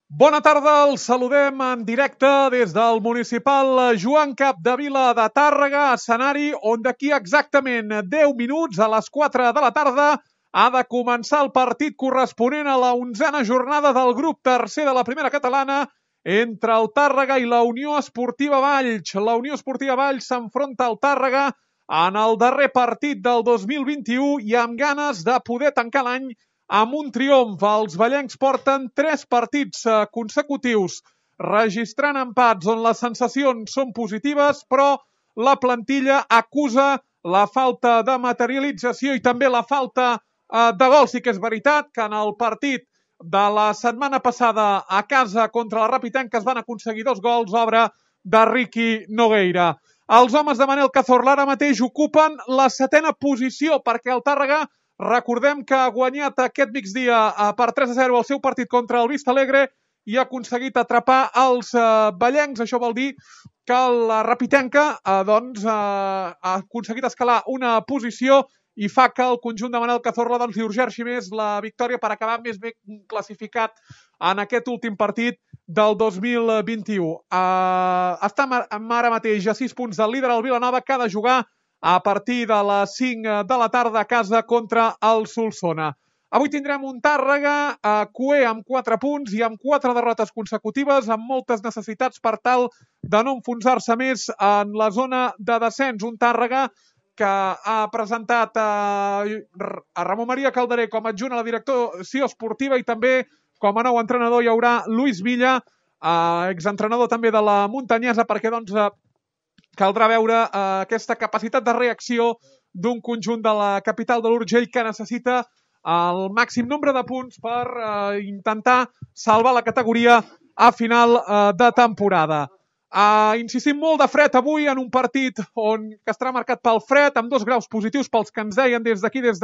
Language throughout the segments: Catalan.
Bona tarda, els saludem en directe des del municipal Joan Capdevila de Tàrrega, escenari on d'aquí exactament 10 minuts a les 4 de la tarda ha de començar el partit corresponent a la 11a jornada del grup tercer de la primera catalana entre el Tàrrega i la Unió Esportiva Valls. La Unió Esportiva Valls s'enfronta al Tàrrega en el darrer partit del 2021 i amb ganes de poder tancar l'any amb un triomf. Els vallencs porten 3 partits consecutius registrant empats on les sensacions són positives, però la plantilla acusa la falta de materialització i també la falta de gols. Sí que és veritat que en el partit de la setmana passada a casa contra la Rapitenca es van aconseguir 2 gols, obra de Riqui Nogueira. Els homes de Manel Cazorla ara mateix ocupen la 7a posició perquè el Tàrrega, recordem que ha guanyat aquest migdia per 3-0 el seu partit contra el Vistalegre i ha aconseguit atrapar els vallencs. Això vol dir que la Rapitenca ha aconseguit escalar una posició i fa que el conjunt de Manel Cazorla li urgeixi més la victòria per acabar més ben classificat en aquest últim partit del 2021. Està ara mateix a 6 punts del líder, el Vilanova, que ha de jugar a partir de les 5 de la tarda a casa contra el Solsona. Avui tindrem un Tàrrega cuer amb 4 punts i amb 4 derrotes consecutives, amb moltes necessitats per tal de no enfonsar-se més en la zona de descens. Un Tàrrega que ha presentat a Ramon Maria Calderé com a adjunt a la direcció esportiva i també com a nou entrenador hi haurà Luis Villa, exentrenador també de la Muntanyesa, perquè caldrà veure aquesta capacitat de reacció d'un conjunt de la capital de l'Urgell que necessita el màxim nombre de punts per intentar salvar la categoria a final de temporada. Insistim molt de fred avui en un partit que estarà marcat pel fred, amb 2 graus positius pels que ens deien des d'aquí, des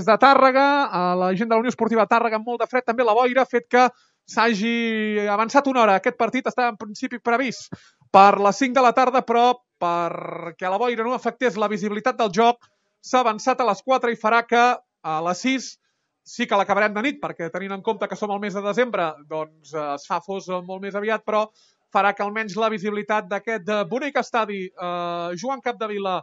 de Tàrrega, la gent de la Unió Esportiva Tàrrega amb molt de fred, també la boira, fet que s'hagi avançat una hora. Aquest partit estava en principi previst per les 5 de la tarda, però perquè la boira no afectés la visibilitat del joc, s'ha avançat a les 4 i farà que a les 6 sí que l'acabarem de nit, perquè tenint en compte que som al mes de desembre, doncs es fa fos molt més aviat, però farà que almenys la visibilitat d'aquest bonic estadi Joan Capdevila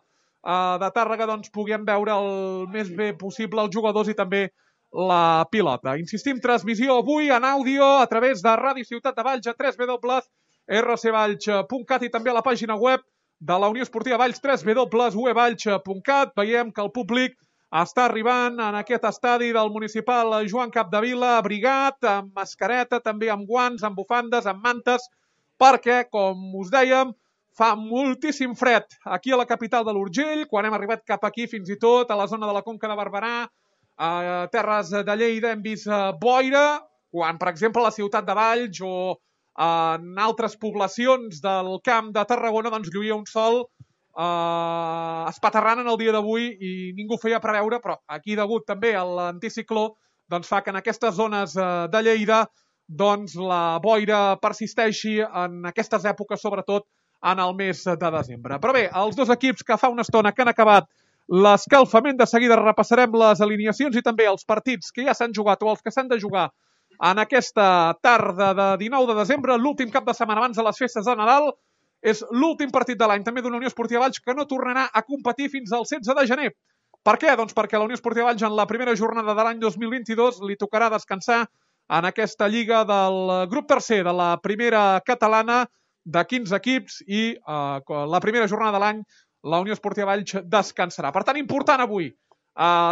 de Tàrrega doncs puguem veure el més bé possible els jugadors i també la pilota. Insistim, transmissió avui en àudio a través de Ràdio Ciutat de Valls a www.rcvalls.cat i també a la pàgina web de la Unió Esportiva Valls, www.uevalls.cat. Veiem que el públic està arribant en aquest estadi del municipal Joan Capdevila, abrigat, amb mascareta, també amb guants, amb bufandes, amb mantes, perquè, com us dèiem, fa moltíssim fred aquí a la capital de l'Urgell, quan hem arribat cap aquí, fins i tot a la zona de la Conca de Barberà, a Terres de Lleida hem vist boira, quan, per exemple, a la ciutat de Valls o en altres poblacions del Camp de Tarragona doncs lluïa un sol espaterrant en el dia d'avui i ningú ho feia preveure, però aquí, degut també a l'anticicló, doncs fa que en aquestes zones de Lleida doncs la boira persisteixi en aquestes èpoques, sobretot en el mes de desembre. Però bé, els 2 equips que fa una estona que han acabat l'escalfament, de seguida repassarem les alineacions i també els partits que ja s'han jugat o els que s'han de jugar en aquesta tarda de 19 de desembre, l'últim cap de setmana abans de les festes de Nadal. És l'últim partit de l'any també d'una Unió Esportiva Valls que no tornarà a competir fins al 16 de gener. Per què? Doncs perquè la Unió Esportiva Valls en la primera jornada de l'any 2022 li tocarà descansar en aquesta lliga del grup tercer de la primera catalana de 15 equips i la primera jornada de l'any la Unió Esportiva Valls descansarà. Per tant, important avui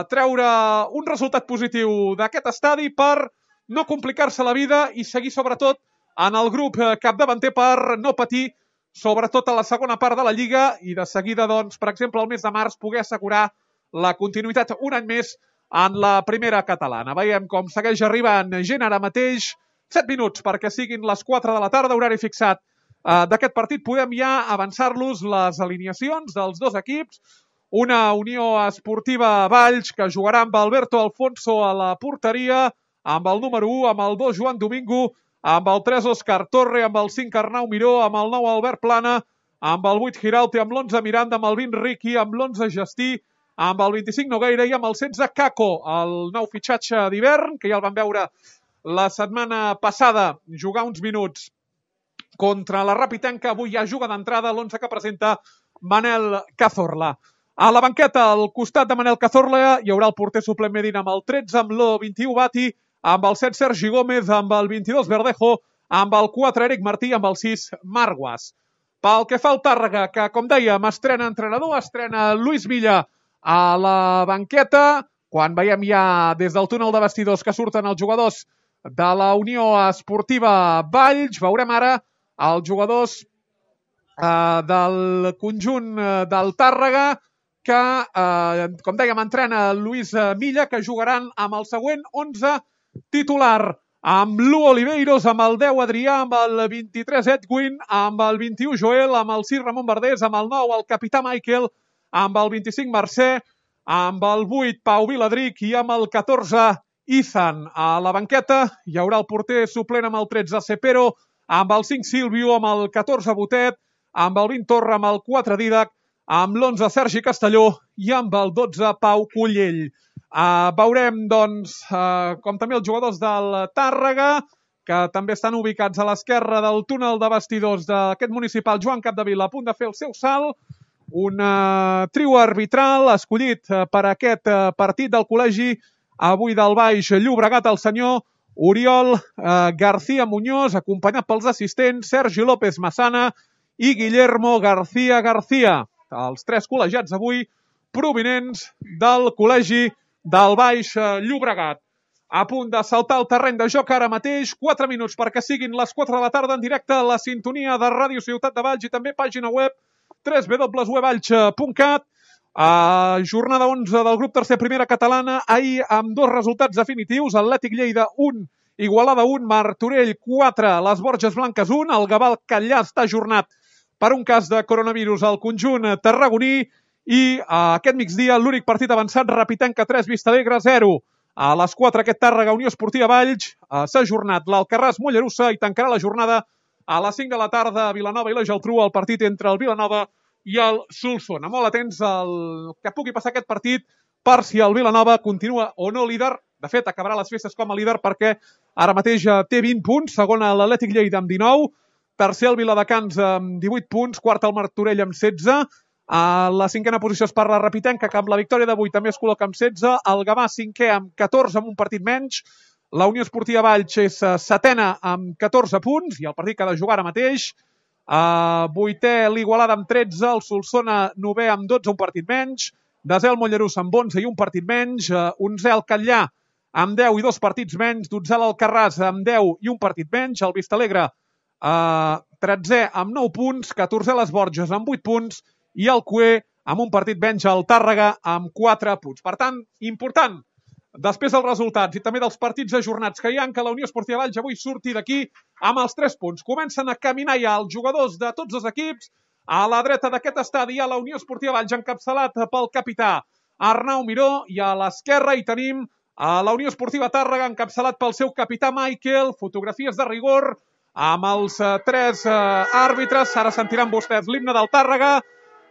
treure un resultat positiu d'aquest estadi per no complicar-se la vida i seguir sobretot en el grup capdavanter per no patir sobretot a la segona part de la Lliga i de seguida, doncs, per exemple, el mes de març poder assegurar la continuïtat un any més en la primera catalana. Veiem com segueix arribant gent ara mateix, 7 minuts perquè siguin les 4 de la tarda, horari fixat d'aquest partit. Podem ja avançar-los les alineacions dels 2 equips. Una Unió Esportiva Valls que jugarà amb Alberto Alfonso a la porteria, amb el número 1, amb el 2 Joan Domingo, amb el 3 Òscar Torre, amb el 5 Arnau Miró, amb el 9 Albert Plana, amb el 8 Giralte, amb l'11 Miranda, amb el 20 Riqui, amb l'11 Gestí, amb el 25 Nogueira i amb el 16 Caco, el nou fitxatge d'hivern, que ja el vam veure la setmana passada jugar uns minuts contra la Rapitenca. Avui ja juga d'entrada l'11 que presenta Manel Cazorla. A la banqueta, al costat de Manel Cazorla, hi haurà el porter suplent Medina amb el 13, amb l'21 Bati, amb el 7 Sergi Gómez, amb el 22 Verdejo, amb el 4 Eric Martí, amb el 6 Marguas. Pel que fa al Tàrrega, que com dèiem, estrena entrenador, estrena Luis Milla a la banqueta, quan veiem ja des del túnel de vestidors que surten els jugadors de la Unió Esportiva Valls. Veurem ara els jugadors del conjunt del Tàrrega, que, com dèiem, entrena Luis Milla, que jugaran amb el següent 11 titular, amb l'1 Oliveiros, amb el 10 Adrià, amb el 23 Edwin, amb el 21 Joel, amb el 6 Ramon Verdés, amb el 9 el capità Michael, amb el 25 Mercè, amb el 8 Pau Viladric i amb el 14 Ethan. A la banqueta hi haurà el porter suplent amb el 13 Cepero, amb el 5 Silvio, amb el 14 Botet, amb el 20 Torra, amb el 4 Didac, amb l'11 Sergi Castelló i amb el 12 Pau Cullell. Veurem, doncs, com també els jugadors del Tàrrega, que també estan ubicats a l'esquerra del túnel de vestidors d'aquest municipal, Joan Capdevila, a punt de fer el seu salt. Un trio arbitral escollit per aquest partit del col·legi avui del Baix Llobregat, el senyor Oriol García Muñoz, acompanyat pels assistents Sergi López Massana i Guillermo García García. Els 3 col·legiats avui provinents del col·legi del Baix Llobregat. A punt de saltar el terreny de joc ara mateix, 4 minuts perquè siguin les 4 de la tarda en directe a la sintonia de Ràdio Ciutat de Valls i també pàgina web www.valls.cat. Jornada 11 del grup tercer primera catalana, ahir amb 2 resultats definitius, Atlètic Lleida 1, Igualada 1, Martorell 4, les Borges Blanques 1, el Gavà Catllà està ajornat per un cas de coronavirus al conjunt tarragoní i aquest migdia l'únic partit avançat, Rapitenca 3, Vistalegre 0. A les 4 aquest Tàrrega Unió Esportiva Valls s'ha ajornat l'Alcarràs Mollerussa i tancarà la jornada a les 5 de la tarda a Vilanova i la Geltrú, el partit entre el Vilanova i el Solsona. Molt atents al que pugui passar aquest partit per si el Vilanova continua o no líder. De fet, acabarà les festes com a líder perquè ara mateix té 20 punts, segona l'Atlètic Lleida amb 19, tercer el Viladecans amb 18 punts, quart el Martorell amb 16, a la cinquena posició es parla Rapitenca, que amb la victòria d'avui també es col·loca amb 16, el Gavà cinquè amb 14 amb un partit menys, la Unió Esportiva Valls és setena amb 14 punts i el partit que ha de jugar ara mateix, vuitè l'Igualada amb 13, el Solsona novè amb 12, un partit menys, desè el Mollerussa amb 11 i un partit menys, onzè el Catllà amb 10 i 2 partits menys, dotzè l'Alcarràs amb 10 i un partit menys, el Vistalegre 13è amb 9 punts, 14è les Borges amb 8 punts i el Cué amb un partit menys, el Tàrrega amb 4 punts. Per tant, important, després dels resultats i també dels partits ajornats que hi ha, que la Unió Esportiva Valls avui surti d'aquí amb els 3 punts. Comencen a caminar ja els jugadors de tots els equips. A la dreta d'aquest estadi hi ha la Unió Esportiva Valls encapçalat pel capità Arnau Miró i a l'esquerra hi tenim a la Unió Esportiva Tàrrega encapçalat pel seu capità Michael. Fotografies de rigor amb els 3 àrbitres. Ara sentiran vostès l'himne del Tàrrega.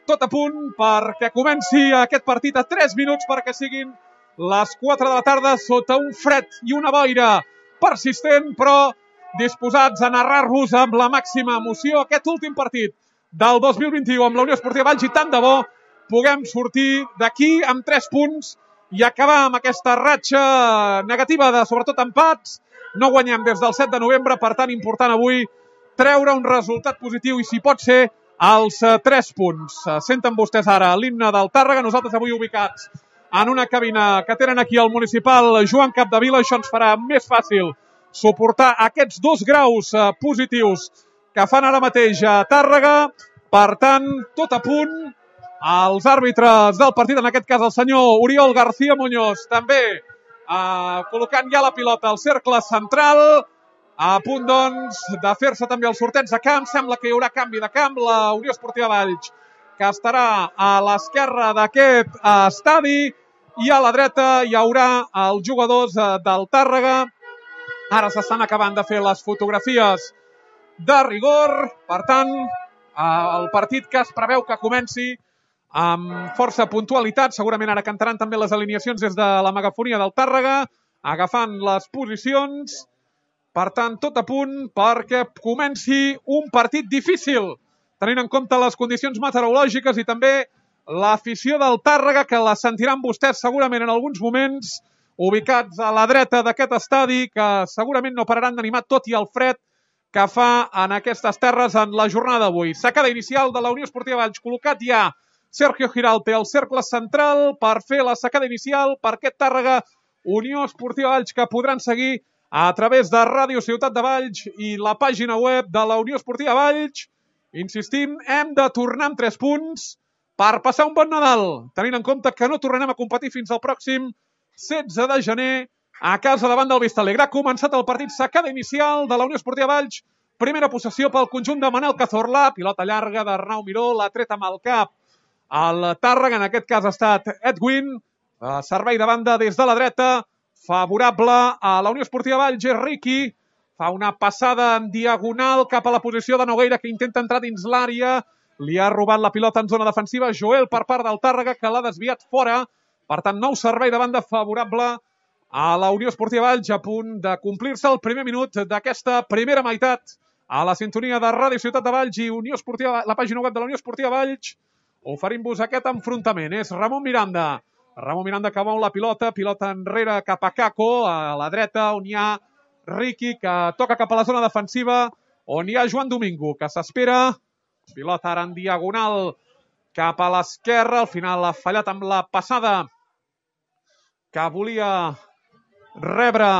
Tot a punt perquè comenci aquest partit a 3 minuts perquè siguin les 4 de la tarda sota un fred i una boira persistent, però disposats a narrar-vos amb la màxima emoció aquest últim partit del 2021 amb la Unió Esportiva Valls i tant de bo puguem sortir d'aquí amb 3 punts i acabar amb aquesta ratxa negativa de sobretot empats. No guanyem des del 7 de novembre, per tant important avui treure un resultat positiu i si pot ser els 3 punts. Senten vostès ara l'himne del Tàrrega, nosaltres avui ubicats en una cabina que tenen aquí al municipal Joan Capdevila. Això ens farà més fàcil suportar aquests 2 graus positius que fan ara mateix a Tàrrega. Per tant, tot a punt. Els àrbitres del partit, en aquest cas el senyor Oriol García Muñoz, també col·locant ja la pilota al cercle central, a punt doncs de fer-se també el sorteig de camp. Sembla que hi haurà canvi de camp. La Unió Esportiva Valls, que estarà a l'esquerra d'aquest estadi, i a la dreta hi haurà els jugadors del Tàrrega. Ara s'estan acabant de fer les fotografies de rigor. Per tant, el partit que es preveu que comenci amb força puntualitat. Segurament ara cantaran també les alineacions des de la megafonia del Tàrrega, agafant les posicions. Per tant, tot a punt perquè comenci un partit difícil, tenint en compte les condicions meteorològiques i també l'afició del Tàrrega, que la sentiran vostès segurament en alguns moments, ubicats a la dreta d'aquest estadi, que segurament no pararan d'animar tot i el fred que fa en aquestes terres en la jornada d'avui. Sacada inicial de la Unió Esportiva Valls, col·locat ja Sergio Giralta al cercle central per fer la sacada inicial per aquest Tàrrega Unió Esportiva Valls, que podran seguir a través de Ràdio Ciutat de Valls i la pàgina web de la Unió Esportiva Valls. Insistim, hem de tornar amb 3 punts per passar un bon Nadal, tenint en compte que no tornarem a competir fins al pròxim 16 de gener a casa davant del Vistalegre. Ha començat el partit, sacada inicial de la Unió Esportiva Valls. Primera possessió pel conjunt de Manel Cazorla, pilota llarga d'Arnau Miró, l'ha tret amb el cap al Tàrrega, en aquest cas ha estat Edwin, servei de banda des de la dreta, favorable a la Unió Esportiva Valls, és Riqui, fa una passada en diagonal cap a la posició de Nogueira, que intenta entrar dins l'àrea, li ha robat la pilota en zona defensiva, Joel per part del Tàrrega, que l'ha desviat fora, per tant, nou servei de banda favorable a la Unió Esportiva Valls, a punt de complir-se el primer minut d'aquesta primera meitat, a la sintonia de Ràdio Ciutat de Valls i Unió Esportiva, la pàgina web de la Unió Esportiva Valls, oferim-vos aquest enfrontament. És Ramon Miranda. Ramon Miranda que mou la pilota, pilota enrere cap a Caco, a la dreta, on hi ha Riqui, que toca cap a la zona defensiva, on hi ha Joan Domingo, que s'espera. Pilota ara en diagonal cap a l'esquerra, al final ha fallat amb la passada que volia rebre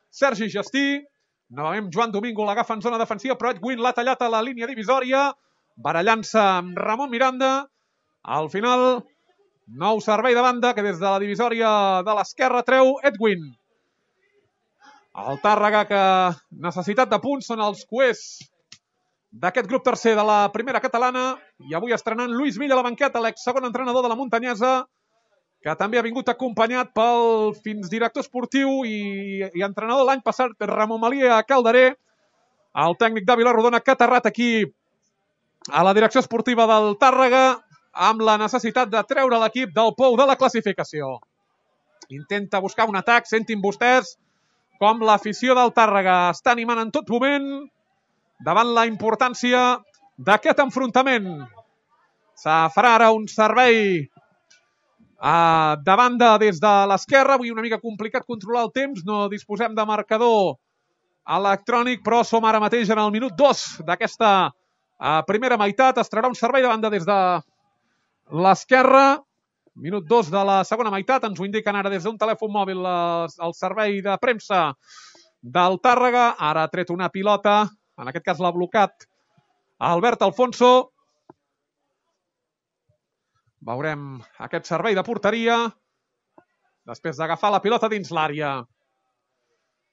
Sergi Gestí. Novament Joan Domingo l'agafa en zona defensiva, però Edwin l'ha tallat a la línia divisòria, barallant-se amb Ramon Miranda. Al final, nou servei de banda que des de la divisòria de l'esquerra treu Edwin. El Tàrrega, que necessitat de punts, són els cuers d'aquest grup tercer de la primera catalana, i avui estrenant Lluís Villa a la banqueta, l'ex-segon entrenador de la Muntanyesa, que també ha vingut acompanyat pel fins director esportiu i entrenador l'any passat, Ramon Malia Calderé, el tècnic de Vilarrodona, que ha aterrat aquí a la direcció esportiva del Tàrrega, amb la necessitat de treure l'equip del pou de la classificació. Intenta buscar un atac, sentin vostès com l'afició del Tàrrega està animant en tot moment davant la importància d'aquest enfrontament. Se farà ara un servei de banda des de l'esquerra. Avui una mica complicat controlar el temps, no disposem de marcador electrònic, però som ara mateix en el minut 2 d'aquesta primera meitat. Es traurà un servei de banda des de l'esquerra, minut 2 de la segona meitat, ens ho indiquen ara des d'un telèfon mòbil el servei de premsa del Tàrrega. Ara ha tret una pilota, en aquest cas l'ha blocat Albert Alfonso. Veurem aquest servei de porteria després d'agafar la pilota dins l'àrea.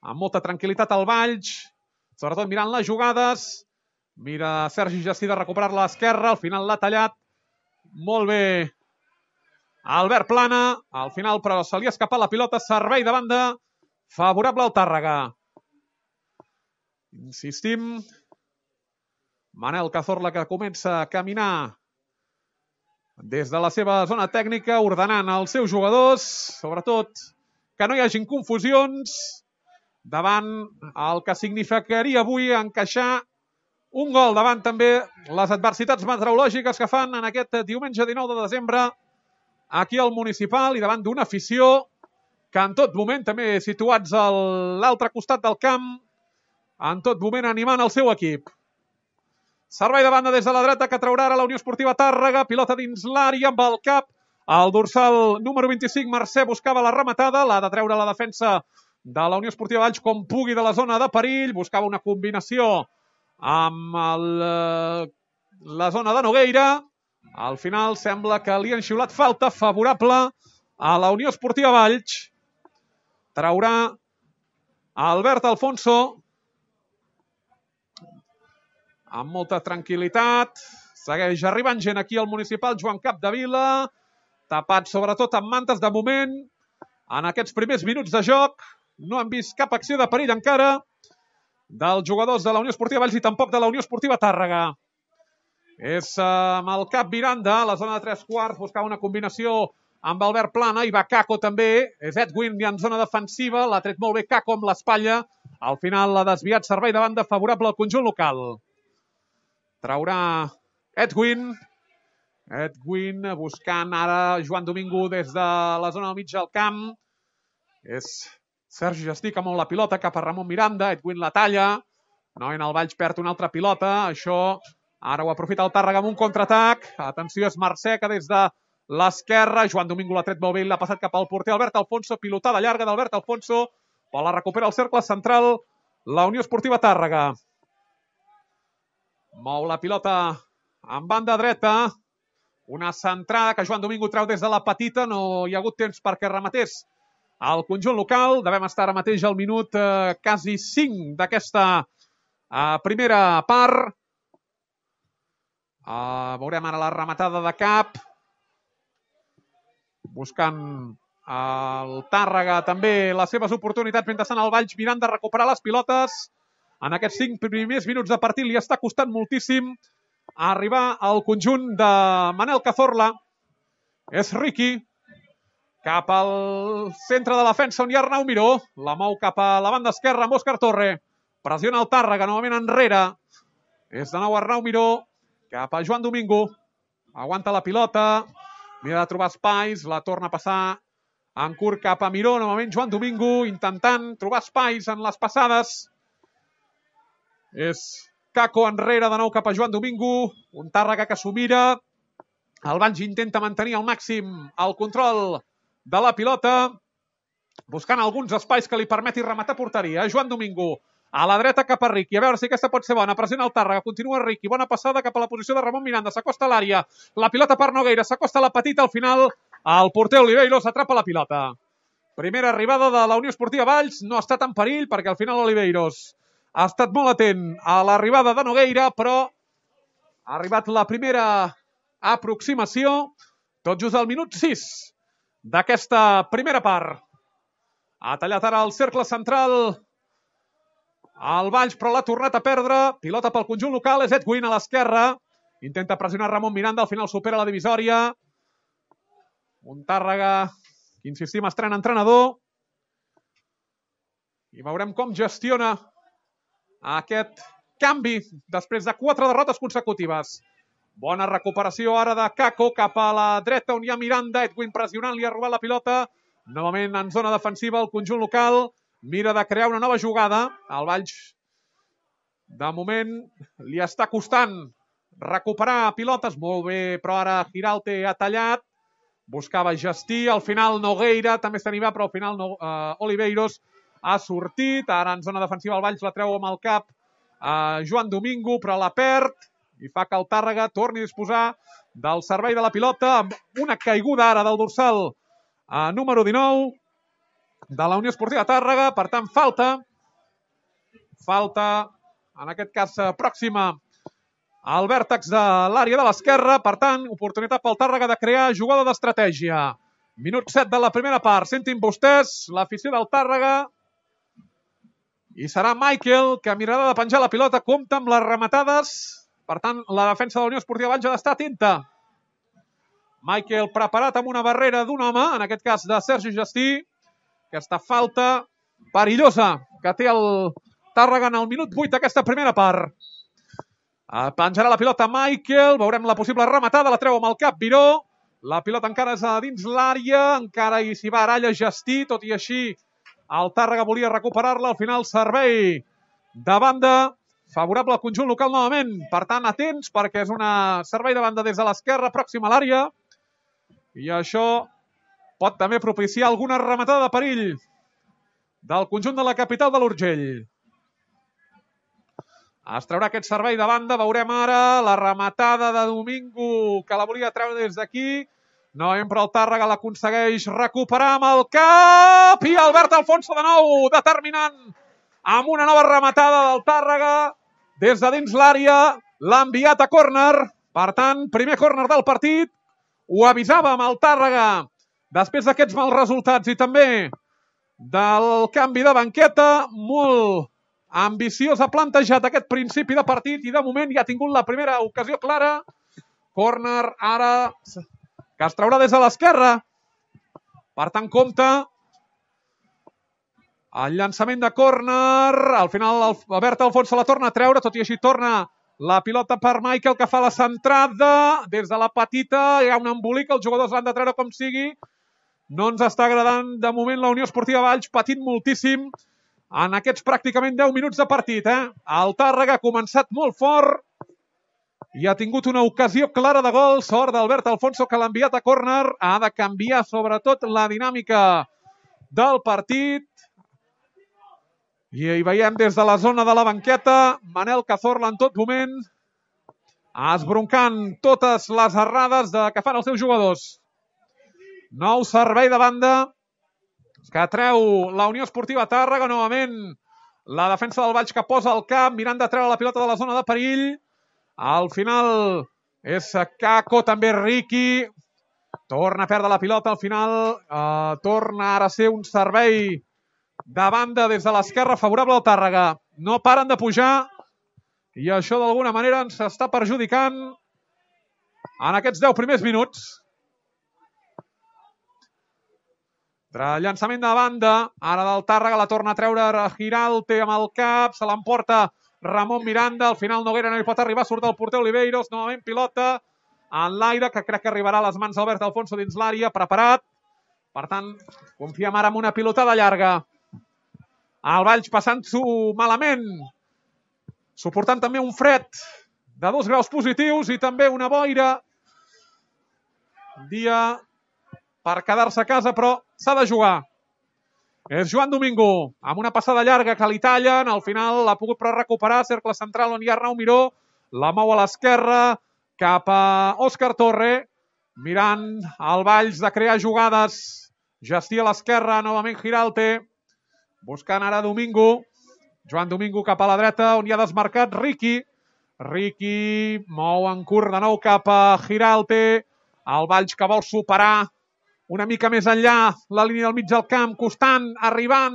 Amb molta tranquil·litat al Valls, sobretot mirant les jugades. Mira Sergi Gestí de recuperar-la a l'esquerra, al final l'ha tallat molt bé Albert Plana, al final però se li ha escapat la pilota, servei de banda favorable al Tàrrega. Insistim, Manel Cazorla, que comença a caminar des de la seva zona tècnica, ordenant els seus jugadors, sobretot que no hi hagin confusions davant el que significaria avui encaixar un gol, davant també les adversitats meteorològiques que fan en aquest diumenge 19 de desembre aquí al Municipal i davant d'una afició que en tot moment, també situats a l'altre costat del camp, en tot moment animant el seu equip. Servei de banda des de la dreta que traurà ara la Unió Esportiva Tàrrega, pilota dins l'àrea amb el cap. El dorsal número 25, Mercè, buscava la rematada, l'ha de treure la defensa de la Unió Esportiva Valls com pugui de la zona de perill, buscava una combinació amb la zona de Nogueira. Al final sembla que li han xiulat falta favorable a la Unió Esportiva Valls. Traurà Albert Alfonso amb molta tranquil·litat. Segueix arribant gent aquí al Municipal. Joan Capdevila, tapat sobretot amb mantes de moment. En aquests primers minuts de joc no han vist cap acció de perill encara dels jugadors de la Unió Esportiva Valls i tampoc de la Unió Esportiva Tàrrega. És amb el cap Miranda, a la zona de 3/4, buscava una combinació amb Albert Plana, i va Caco també. És Edwin en zona defensiva, l'ha tret molt bé Caco amb l'espatlla Al final l'ha desviat, servei de banda favorable al conjunt local. Traurà Edwin. Edwin buscant ara Joan Domingo des de la zona del mig del camp. És Sergi Gestí que mou la pilota cap a Ramon Miranda. Edwin la talla. Novament el Valls perd una altra pilota. Això ara ho aprofita el Tàrrega amb un contraatac. Atenció, és Mercè que des de l'esquerra. Joan Domingo l'ha tret molt bé i l'ha passat cap al porter Albert Alfonso. Pilotada llarga d'Albert Alfonso. Però la recupera el cercle central la Unió Esportiva Tàrrega. Mou la pilota en banda dreta. Una centrada que Joan Domingo treu des de la petita. No hi ha hagut temps perquè rematés al conjunt local. Devem estar ara mateix al minut quasi 5 d'aquesta primera part. Veurem ara la rematada de cap. Buscant el Tàrrega també les seves oportunitats. Mentrestant el Valls mirant de recuperar les pilotes. En aquests 5 primers minuts de partit li està costant moltíssim arribar al conjunt de Manel Cazorla. És Riqui. Cap al centre de la defensa on hi ha Arnau Miró. La mou cap a la banda esquerra amb Òscar Torre. Pressiona el Tàrrega, novament enrere. És de nou Arnau Miró. Cap a Joan Domingo. Aguanta la pilota. Mira de trobar espais. La torna a passar en curt cap a Miró. Novament Joan Domingo intentant trobar espais en les passades. És Caco enrere de nou cap a Joan Domingo. Un Tàrrega que s'ho mira. El Valls intenta mantenir al màxim el control de la pilota. Buscant alguns espais que li permeti rematar porteria. Joan Domingo a la dreta cap a Riqui. A veure si aquesta pot ser bona. Pressiona el Tàrrega. Continua Riqui. Bona passada cap a la posició de Ramon Miranda. S'acosta a l'àrea. La pilota per Nogueira. S'acosta a la petita. Al final el porter Oliveiros atrapa la pilota. Primera arribada de la Unió Esportiva Valls. No ha estat en perill perquè al final Oliveiros ha estat molt atent a l'arribada de Nogueira, però ha arribat la primera aproximació tot just al minut 6 d'aquesta primera part. Ha tallat ara el cercle central al Valls, però l'ha tornat a perdre. Pilota pel conjunt local, és Edwin a l'esquerra. Intenta pressionar Ramon Miranda, al final supera la divisòria. Un Tàrrega que, insistim, estrena entrenador. I veurem com gestiona aquest canvi després de 4 derrotes consecutives. Bona recuperació ara de Caco cap a la dreta on hi ha Miranda. Edwin pressionant, li ha robat la pilota. Novament en zona defensiva el conjunt local. Mira de crear una nova jugada. El Valls, de moment, li està costant recuperar pilotes. Molt bé, però ara Giralte ha tallat. Buscava Gestí. Al final Nogueira també s'anima, però al final Oliveiros ha sortit. Ara en zona defensiva el Valls la treu amb el cap a Joan Domingo, però la perd i fa que el Tàrrega torni a disposar del servei de la pilota amb una caiguda ara del dorsal número 19 de la Unió Esportiva Tàrrega. Per tant, falta, en aquest cas pròxima al vèrtex de l'àrea de l'esquerra. Per tant, oportunitat pel Tàrrega de crear jugada d'estratègia. Minut 7 de la primera part. Sentin vostès l'afició del Tàrrega. I serà Michael que mirarà de penjar la pilota. Compta amb les rematades. Per tant, la defensa de la Unió Esportiva Valls ha d'estar atenta. Michael preparat amb una barrera d'un home, en aquest cas de Sergi Gestí. Aquesta falta perillosa que té el Tàrrega en el minut 8 d'aquesta primera part. Penjarà la pilota Michael. Veurem la possible rematada. La treu amb el cap Miró. La pilota encara és a dins l'àrea. Encara hi s'hi va Aralla Gestí. Tot i així, el Tàrrega volia recuperar-la. Al final, servei de banda favorable al conjunt local novament. Per tant, atents, perquè és una servei de banda des de l'esquerra, pròxima a l'àrea. I això pot també propiciar alguna rematada de perill del conjunt de la capital de l'Urgell. Es traurà aquest servei de banda. Veurem ara la rematada de Domingo, que la volia treure des d'aquí. No, però el Tàrrega l'aconsegueix recuperar amb el cap. I Albert Alfonso de nou, determinant amb una nova rematada del Tàrrega. Des de dins l'àrea l'ha enviat a córner. Per tant, primer córner del partit. Ho avisàvem el Tàrrega després d'aquests mals resultats i també del canvi de banqueta. Molt ambiciós ha plantejat aquest principi de partit i de moment ja ha tingut la primera ocasió clara. Córner ara que es traurà des de l'esquerra. Per tant, compte El llançament de córner, al final Albert Alfonso la torna a treure, tot i així torna la pilota per Michael, que fa la centrada des de la petita, hi ha un embolic, els jugadors l'han de treure com sigui. No ens està agradant de moment la Unió Esportiva Valls, patint moltíssim en aquests pràcticament 10 minuts de partit. El Tàrrega ha començat molt fort i ha tingut una ocasió clara de gol. Sort d'Albert Alfonso, que l'ha enviat a córner. Ha de canviar sobretot la dinàmica del partit. I hi veiem des de la zona de la banqueta Manel Cazorla en tot moment esbroncant totes les errades que fan els seus jugadors. Nou servei de banda que treu la Unió Esportiva Tàrrega. Novament la defensa del Valls, que posa el cap mirant de treure la pilota de la zona de perill. Al final és Caco, també Riqui. Torna a perdre la pilota al final. Torna ara a ser un servei de banda des de l'esquerra favorable al Tàrrega. No paren de pujar i això d'alguna manera ens està perjudicant en aquests 10 primers minuts. Llançament de banda, ara del Tàrrega, la torna a treure Giralte amb el cap, se l'emporta Ramon Miranda, al final Noguera no hi pot arribar, surt el porter Oliveiros, novament pilota en l'aire, que crec que arribarà a les mans d'Albert Alfonso dins l'àrea, preparat. Per tant, confiem ara en una pilotada llarga. El Valls passant-s'ho malament, suportant també un fred de 2 graus positius i també una boira. Dia per quedar-se a casa, però s'ha de jugar. És Joan Domingo, amb una passada llarga que li tallen, al final l'ha pogut però recuperar, cercle central on hi ha Arnau Miró, la mou a l'esquerra, cap a Òscar Torre, mirant el Valls de crear jugades, Gestí a l'esquerra, novament Giralte, buscant ara Domingo, Joan Domingo cap a la dreta, on hi ha desmarcat Riqui, Riqui mou en curt de nou cap a Giralte, el Valls que vol superar una mica més enllà la línia del mig del camp, costant, arribant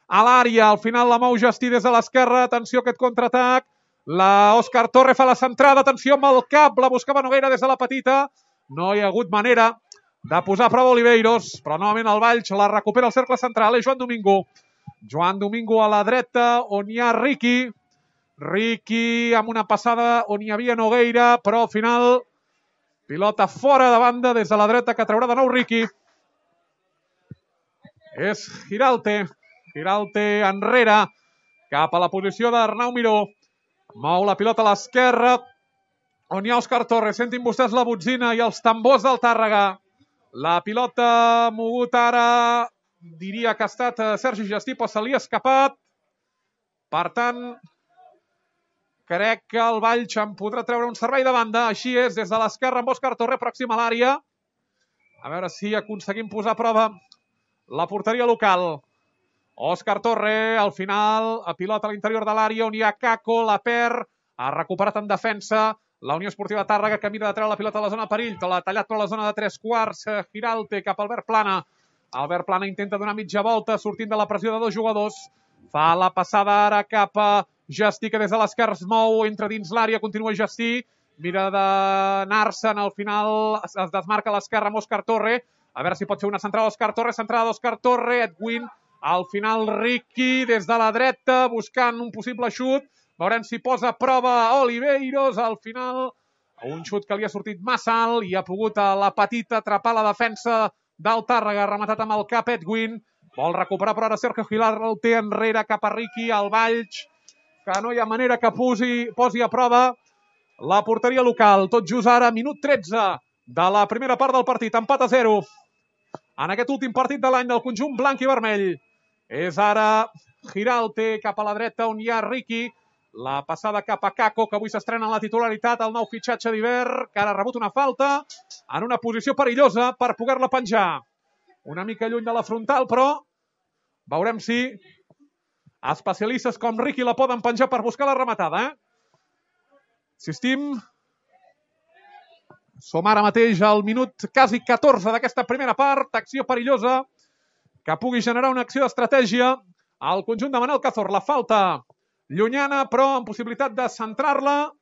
a l'àrea. Al final la mou Gestí des de l'esquerra. Atenció a aquest contraatac. Òscar Torre fa la centrada. Atenció amb el cap. La buscava Noguera des de la petita. No hi ha hagut manera de posar a prova Oliveiros. Però novament el Valls la recupera al cercle central. És Joan Domingo. Joan Domingo a la dreta, on hi ha Riqui. Riqui amb una passada on hi havia Nogueira, però al final pilota fora de banda des de la dreta, que traurà de nou Riqui. És Giralte. Giralte enrere, cap a la posició d'Arnau Miró. Mou la pilota a l'esquerra, on hi ha Òscar Torres. Sentin vostès la botzina i els tambors del Tàrrega. La pilota mogut ara, diria que ha estat Sergi Gestí, però se li ha escapat. Per tant, crec que el Valls en podrà treure un servei de banda. Així és, des de l'esquerra amb Òscar Torre, pròxim a l'àrea. A veure si aconseguim posar a prova la porteria local. Òscar Torre, al final, a pilota a l'interior de l'àrea, on hi ha Caco, la perd, ha recuperat en defensa. La Unió Esportiva Tàrrega, que mira de treure la pilota a la zona de perill, l'ha tallat per la zona de 3/4, Giralte cap a Albert Plana. Albert Plana intenta donar mitja volta, sortint de la pressió de 2 jugadors. Fa la passada ara cap a Gestí, que des de l'esquerra es mou, entra dins l'àrea, continua Gestí, mira d'anar-se'n, al final es desmarca a l'esquerra amb Òscar Torre, a veure si pot fer una centrada d'Òscar Torre, centrada d'Òscar Torre, Edwin, al final Riqui des de la dreta, buscant un possible xut, veurem si posa a prova Oliveiros, al final un xut que li ha sortit massa alt i ha pogut a la petita atrapar la defensa del Tàrrega, rematat amb el cap Edwin, vol recuperar però ara Sergio Gilar el té enrere cap a Riqui, al Valls, que no hi ha manera que posi a prova la porteria local. Tot just ara, minut 13 de la primera part del partit, empat a 0. En aquest últim partit de l'any del conjunt blanc i vermell. És ara Giralte cap a la dreta, on hi ha Riqui. La passada cap a Caco, que avui s'estrena en la titularitat, el nou fitxatge d'hivern, que ara ha rebut una falta en una posició perillosa per poder-la penjar. Una mica lluny de la frontal, però veurem si especialistes com Riqui la poden penjar per buscar la rematada. Insistim, som ara mateix al minut quasi 14 d'aquesta primera part, acció perillosa que pugui generar una acció d'estratègia al conjunt de Manel Cazorla. La falta llunyana, però amb possibilitat de centrar-la.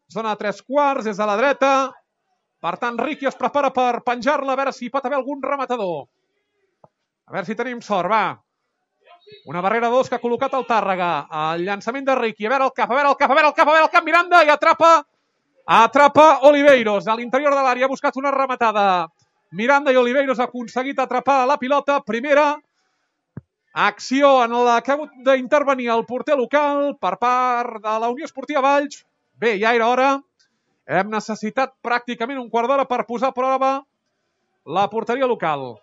Zona de 3/4, des de la dreta. Per tant, Riqui es prepara per penjar-la, a veure si hi pot haver algun rematador. A veure si tenim sort, va. Una barrera de dos que ha col·locat el Tàrrega. El llançament de Riqui. A veure el cap, Miranda i atrapa Oliveiros. A l'interior de l'àrea ha buscat una rematada. Miranda i Oliveiros ha aconseguit atrapar la pilota. Primera acció en la que ha hagut d'intervenir el porter local per part de la Unió Esportiva Valls. Bé, ja era hora. Hem necessitat pràcticament un quart d'hora per posar a prova la porteria local.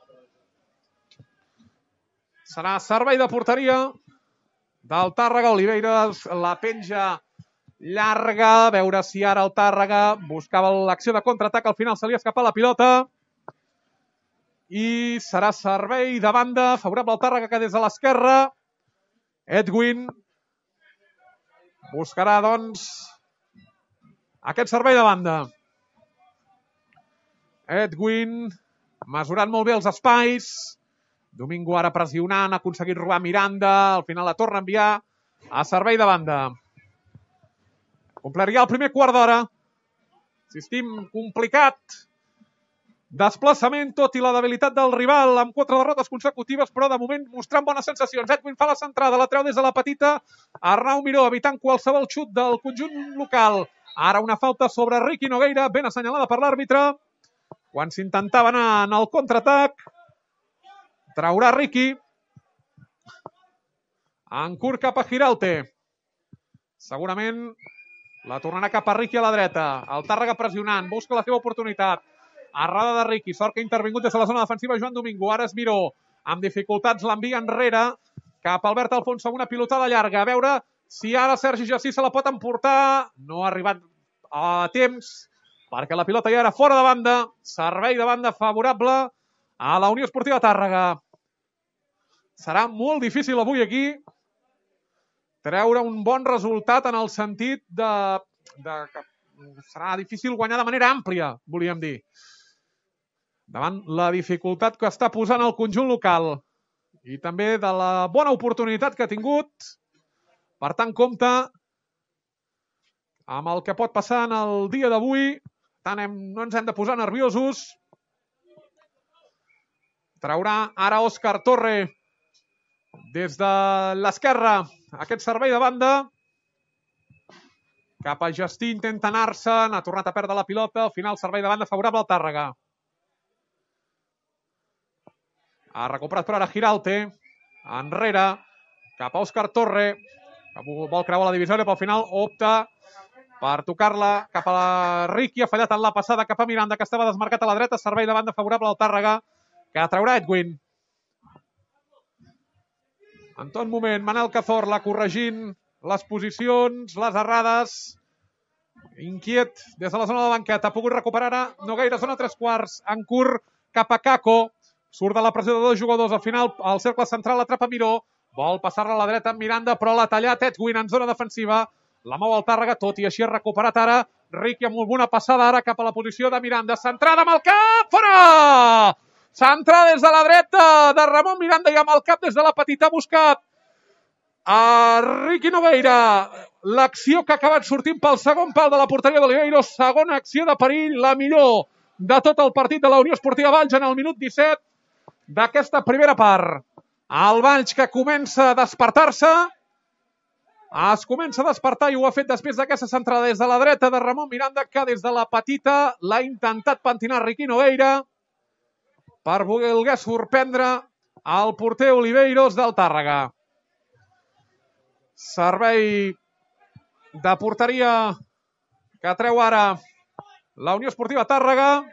Serà servei de porteria del Tàrrega. Oliveiros la penja llarga. A veure si ara el Tàrrega buscava l'acció de contraatac. Al final se li ha escapat la pilota. I serà servei de banda favorable al Tàrrega, que des de l'esquerra Edwin buscarà, doncs, aquest servei de banda. Edwin mesurant molt bé els espais. Domingo ara pressionant, ha aconseguit robar Miranda. Al final la torna a enviar a servei de banda. Complert ja el primer quart d'hora. Insistim, complicat desplaçament, tot i la debilitat del rival, amb 4 derrotes consecutives, però de moment mostrant bones sensacions. Edwin fa la centrada, la treu des de la petita. Arnau Miró evitant qualsevol xut del conjunt local. Ara una falta sobre Riqui Nogueira, ben assenyalada per l'àrbitre. Quan s'intentava anar en el contraatac, traurà Riqui. En curt cap a Giralte. Segurament la tornarà cap a Riqui a la dreta. El Tàrrega pressionant, busca la seva oportunitat. Errada de Riqui, sort que ha intervingut des de la zona defensiva Joan Domingo. Ara és Miró, amb dificultats l'envia enrere cap a Albert Alfonso amb una pilotada llarga. A veure si ara Sergi Jací se la pot emportar. No ha arribat a temps perquè la pilota ja era fora de banda. Servei de banda favorable a la Unió Esportiva Tàrrega. Serà molt difícil avui aquí treure un bon resultat, en el sentit que serà difícil guanyar de manera àmplia, volíem dir, davant la dificultat que està posant el conjunt local i també de la bona oportunitat que ha tingut. Per tant, compte amb el que pot passar en el dia d'avui. No ens hem de posar nerviosos. Traurà ara Òscar Torre des de l'esquerra aquest servei de banda. Cap a Justí, intenta anar-se'n, ha tornat a perdre la pilota. Al final, servei de banda favorable al Tàrrega. Ha recuperat per ara Giralte. Enrere, cap a Òscar Torre, que vol creuar la divisòria, però al final opta per tocar-la cap a la Riqui. Ha fallat en la passada cap a Miranda, que estava desmarcat a la dreta. Servei de banda favorable al Tàrrega, que traurà Edwin. En tot moment, Manel Cazorla corregint les posicions, les errades. Inquiet des de la zona de banqueta. Ha pogut recuperar ara Nogueira, zona 3/4. En curt cap a Caco. Surt de la pressió de dos jugadors. Al final, al cercle central atrapa Miró. Vol passar-la a la dreta amb Miranda, però l'ha tallat Edwin en zona defensiva. La mou el Tàrrega, tot i així ha recuperat ara Riqui amb una passada ara cap a la posició de Miranda. Centrada amb el cap, fora! Centrada des de la dreta de Ramon Miranda i amb el cap des de la petita ha buscat a Riqui Nogueira. L'acció que ha acabat sortint pel segon pal de la porteria d'Oliveiros. Segona acció de perill, la millor de tot el partit de la Unió Esportiva Valls en el minut 17 d'aquesta primera part. El Valls que comença a despertar-se. Es comença a despertar i ho ha fet després d'aquesta centrada des de la dreta de Ramon Miranda, que des de la petita l'ha intentat pentinar Riqui Nogueira per voler sorprendre el porter Oliveiros del Tàrrega. Servei de porteria que treu ara la Unió Esportiva Tàrrega.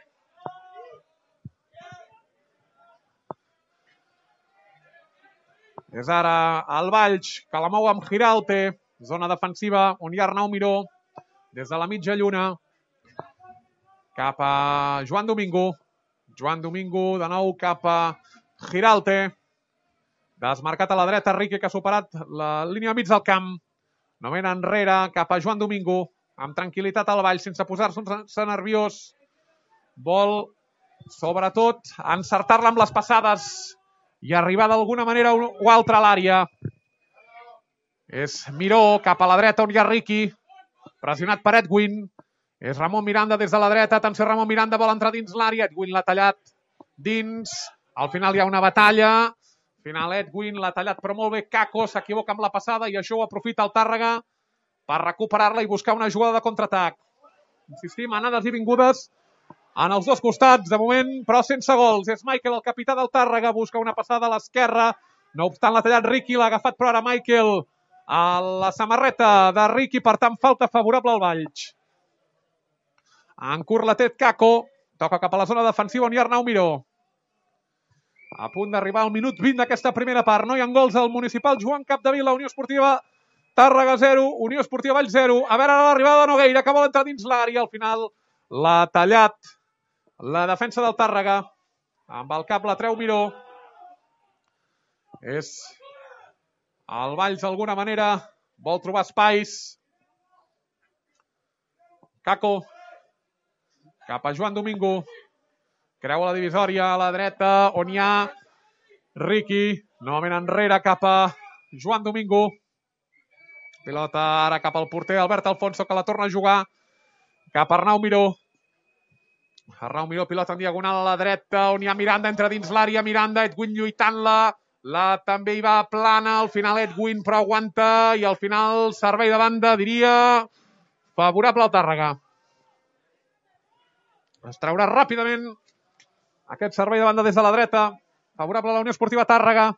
És ara el Valls que la mou amb Giralte, zona defensiva on hi ha Arnau Miró, des de la mitja lluna cap a Joan Domingo. Joan Domingo de nou cap a Giralte. Desmarcat a la dreta, Riqui, que ha superat la línia mig del camp. Novament enrere cap a Joan Domingo, amb tranquil·litat al Valls, sense posar-se nerviós. Vol, sobretot, encertar-la amb les passades i arribar d'alguna manera o altra a l'àrea. És Miró cap a la dreta on hi ha Riqui, pressionat per Edwin. És Ramon Miranda des de la dreta. Atenció, Ramon Miranda vol entrar dins l'àrea. Edwin l'ha tallat dins. Al final hi ha una batalla. final Edwin, l'ha tallat però molt bé Kako, s'equivoca amb la passada i això ho aprofita el Tàrrega per recuperar-la i buscar una jugada de contraatac. Insistim, anades i vingudes en els dos costats, de moment, però sense gols. És Michael, el capità del Tàrrega, busca una passada a l'esquerra. No obstant, l'ha tallat Riqui, l'ha agafat però ara Michael a la samarreta de Riqui, per tant, falta favorable al Valls. En curt la té Kako, toca cap a la zona defensiva on hi ha Arnau Miró. A punt d'arribar al minut 20 d'aquesta primera part. No hi ha gols al municipal. Joan Capdevila, Unió Esportiva Tàrrega 0, Unió Esportiva Valls 0. A veure ara l'arribada de Nogueira, que vol entrar dins l'àrea. Al final l'ha tallat la defensa del Tàrrega. Amb el cap la treu Miró. És el Valls d'alguna manera. Vol trobar espais. Kako. Cap a Joan Domingo. Creua la divisòria a la dreta, on hi ha Riqui. Novament enrere cap a Joan Domingo. Pilota ara cap al porter Albert Alfonso, que la torna a jugar. Cap a Arnau Miró. Arnau Miró, pilota en diagonal a la dreta, on hi ha Miranda, entra dins l'àrea. Miranda, Edwin lluitant-la. També hi va plana, al final Edwin, però aguanta. I al final servei de banda, diria, favorable al Tàrrega. Es traurà ràpidament aquest servei de banda des de la dreta. Favorable a la Unió Esportiva Tàrrega.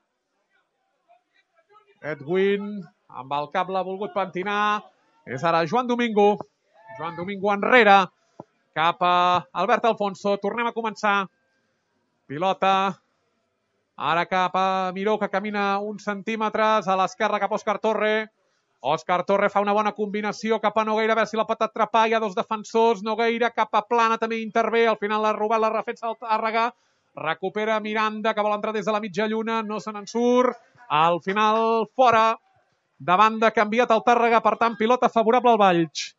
Edwin, amb el cap l'ha volgut pentinar. És ara Joan Domingo. Joan Domingo enrere. Cap a Albert Alfonso. Tornem a començar. Pilota. Ara cap a Miró, que camina uns centímetres. A l'esquerra cap a Òscar Torre. Òscar Torre fa una bona combinació cap a Nogueira, a veure si la pot atrapar. Hi ha dos defensors. Nogueira cap a Plana també intervé. Al final l'ha robat la defensa del Tàrrega. Recupera Miranda, que vol entrar des de la mitja lluna. No se n'en surt. Al final fora. De banda canviat el Tàrrega. Per tant, pilota favorable al Valls.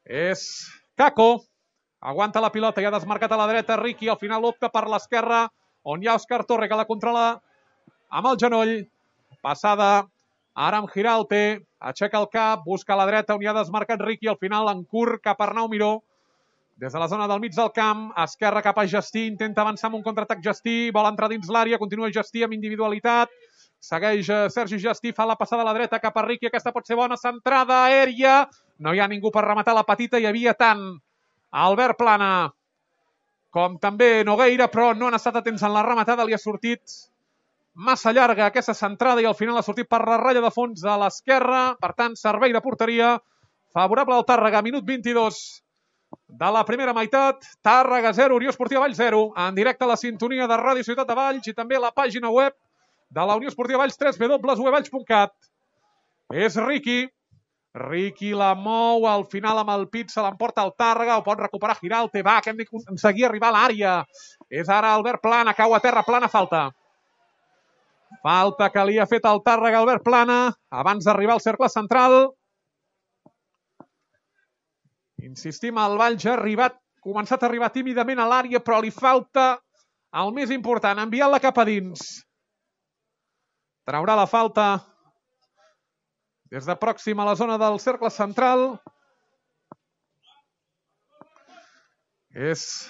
És Kako. Aguanta la pilota i ha desmarcat a la dreta Riqui. Al final opta per l'esquerra, on hi ha Òscar Torre, que la controla amb el genoll. Passada. Ara amb Giralte, aixeca el cap, busca a la dreta on hi ha desmarcat Riqui, al final en curt cap a Arnau Miró. Des de la zona del mig del camp, esquerra cap a Gestí, intenta avançar amb un contraatac Gestí, vol entrar dins l'àrea, continua Gestí amb individualitat, segueix Sergi Gestí, fa la passada a la dreta cap a Riqui, aquesta pot ser bona, centrada aèria, no hi ha ningú per rematar la petita, hi havia tant Albert Plana com també Nogueira, però no han estat atents en la rematada, li ha sortit massa llarga aquesta centrada i al final ha sortit per la ratlla de fons a l'esquerra. Per tant, servei de porteria favorable al Tàrrega. Minut 22 de la primera meitat. Tàrrega 0, Unió Esportiva Valls 0. En directe a la sintonia de Ràdio Ciutat de Valls i també a la pàgina web de la Unió Esportiva Valls, www.uvalls.cat. És Riqui. Riqui la mou, al final amb el pit se l'emporta el Tàrrega, ho pot recuperar Giralte. Va, que hem d'aconseguir arribar a l'àrea. És ara Albert Plana, cau a terra, Plana, falta. Falta que li ha fet el Tàrrega Albert Plana abans d'arribar al cercle central. Insistim, el Valls ha començat a arribar tímidament a l'àrea, però li falta el més important, enviant-la cap a dins. Traurà la falta des de pròxim a la zona del cercle central. És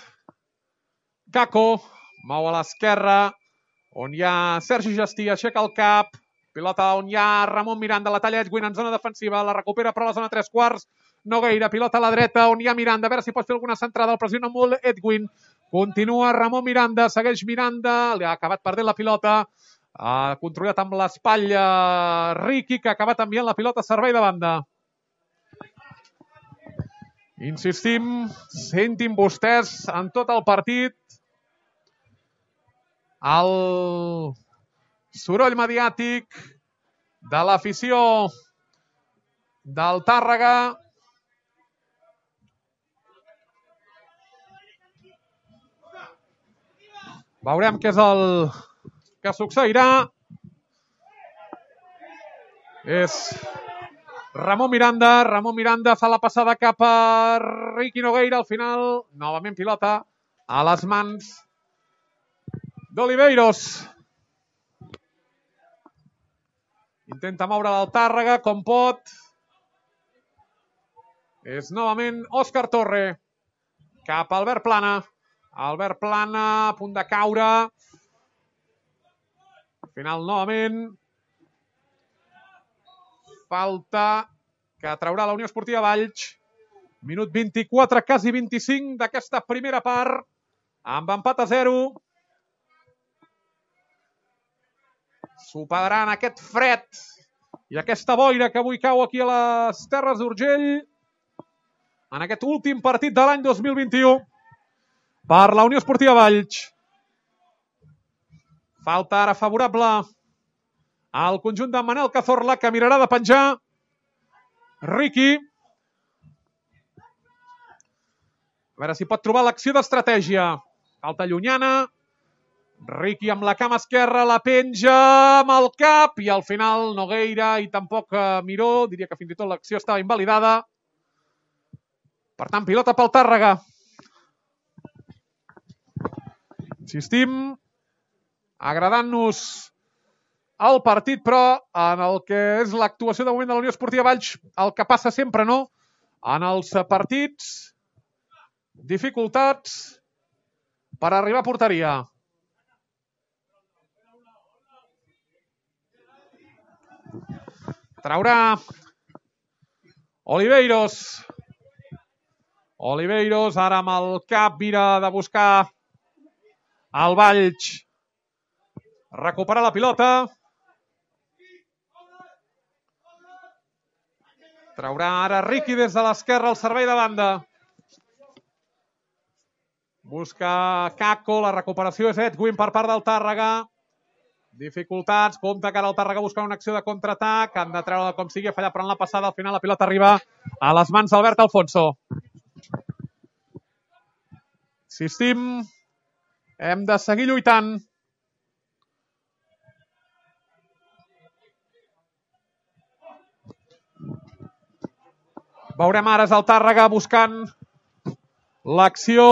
Kako, mou a l'esquerra, on hi ha Sergi Gestí, aixeca el cap, pilota on hi ha Ramon Miranda, la talla Edwin en zona defensiva, la recupera però a la zona 3/4, Nogueira, pilota a la dreta, on hi ha Miranda, a veure si pot fer alguna centrada, el pressiona molt Edwin, continua Ramon Miranda, segueix Miranda, li ha acabat perdent la pilota, ha controlat amb l'espatlla Riqui, que ha acabat enviant la pilota a servei de banda. Insistim, sentin vostès en tot el partit el soroll mediàtic de l'afició del Tàrrega. Veurem què és el que succeirà. És Ramon Miranda fa la passada cap a Riqui Nogueira, al final novament pilota a les mans d'Oliveiros. Intenta moure el Tàrrega com pot. És novament Òscar Torre cap a Albert Plana. Albert Plana a punt de caure. final, novament. Falta que traurà la Unió Esportiva Valls. Minut 24, quasi 25 d'aquesta primera part. Amb empat a 0. Superaran aquest fred i aquesta boira que avui cau aquí a les Terres d'Urgell en aquest últim partit de l'any 2021 per la Unió Esportiva Valls. Falta ara favorable al conjunt de Manel Cazorla, que mirarà de penjar Riqui. A veure si pot trobar l'acció d'estratègia. Falta llunyana. Riqui amb la cama esquerra, la penja amb el cap i al final Nogueira i tampoc Miró. Diria que fins i tot l'acció estava invalidada. Per tant, pilota pel Tàrrega. Insistim, agradant-nos el partit, però en el que és l'actuació de moment de la Unió Esportiva Valls, el que passa sempre, no? En els partits, dificultats per arribar a porteria. Traurà Oliveiros. Oliveiros ara amb el cap mira de buscar el Valls. Recupera la pilota. Traurà ara Riqui des de l'esquerra al servei de banda. Busca Caco, la recuperació és Edwin per part del Tàrrega. Dificultats, compta que ara el Tàrrega busca una acció de contraatac. Han de treure com sigui, fallar però en la passada. Al final la pilota arriba a les mans d'Albert Alfonso. Insistim, hem de seguir lluitant. Veurem ara és el Tàrrega buscant l'acció.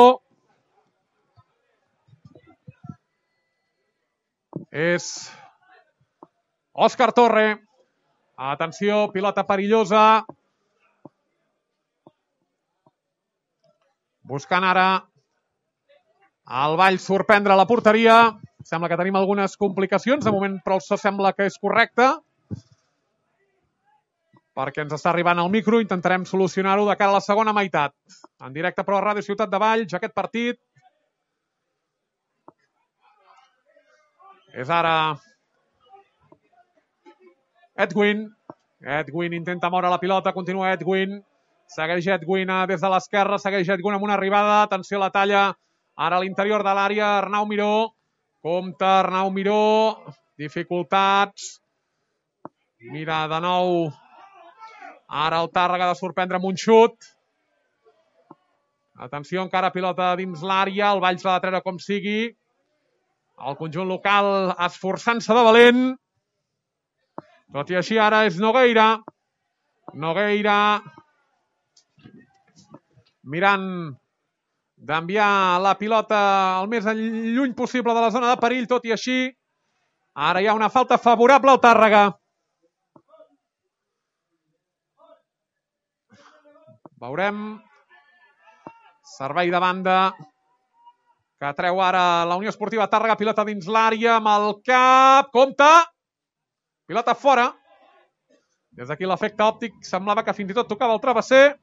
És Òscar Torre. Atenció, pilota perillosa. Buscant ara el Valls sorprendre la porteria. Sembla que tenim algunes complicacions. De moment, però això sembla que és correcte. Perquè ens està arribant el micro. Intentarem solucionar-ho de cara a la segona meitat. En directe, però, a Ràdio Ciutat de Valls, aquest partit. És ara Edwin. Edwin intenta moure la pilota, continua Edwin. Segueix Edwin des de l'esquerra, segueix Edwin amb una arribada. Atenció a la talla. Ara a l'interior de l'àrea, Arnau Miró. Compte, Arnau Miró. Dificultats. Mira de nou. Ara el Tàrrega de sorprendre amb un xut. Atenció, encara pilota dins l'àrea. El Valls l'ha de treure com sigui. El conjunt local esforçant-se de valent. Tot i així ara és Nogueira. Nogueira mirant d'enviar la pilota el més lluny possible de la zona de perill. Tot i així, ara hi ha una falta favorable al Tàrrega. Veurem. Servei de banda que treu ara la Unió Esportiva Tàrrega, pilota dins l'àrea, amb el cap, compte, pilota fora. Des d'aquí l'efecte òptic semblava que fins i tot tocava el travesser.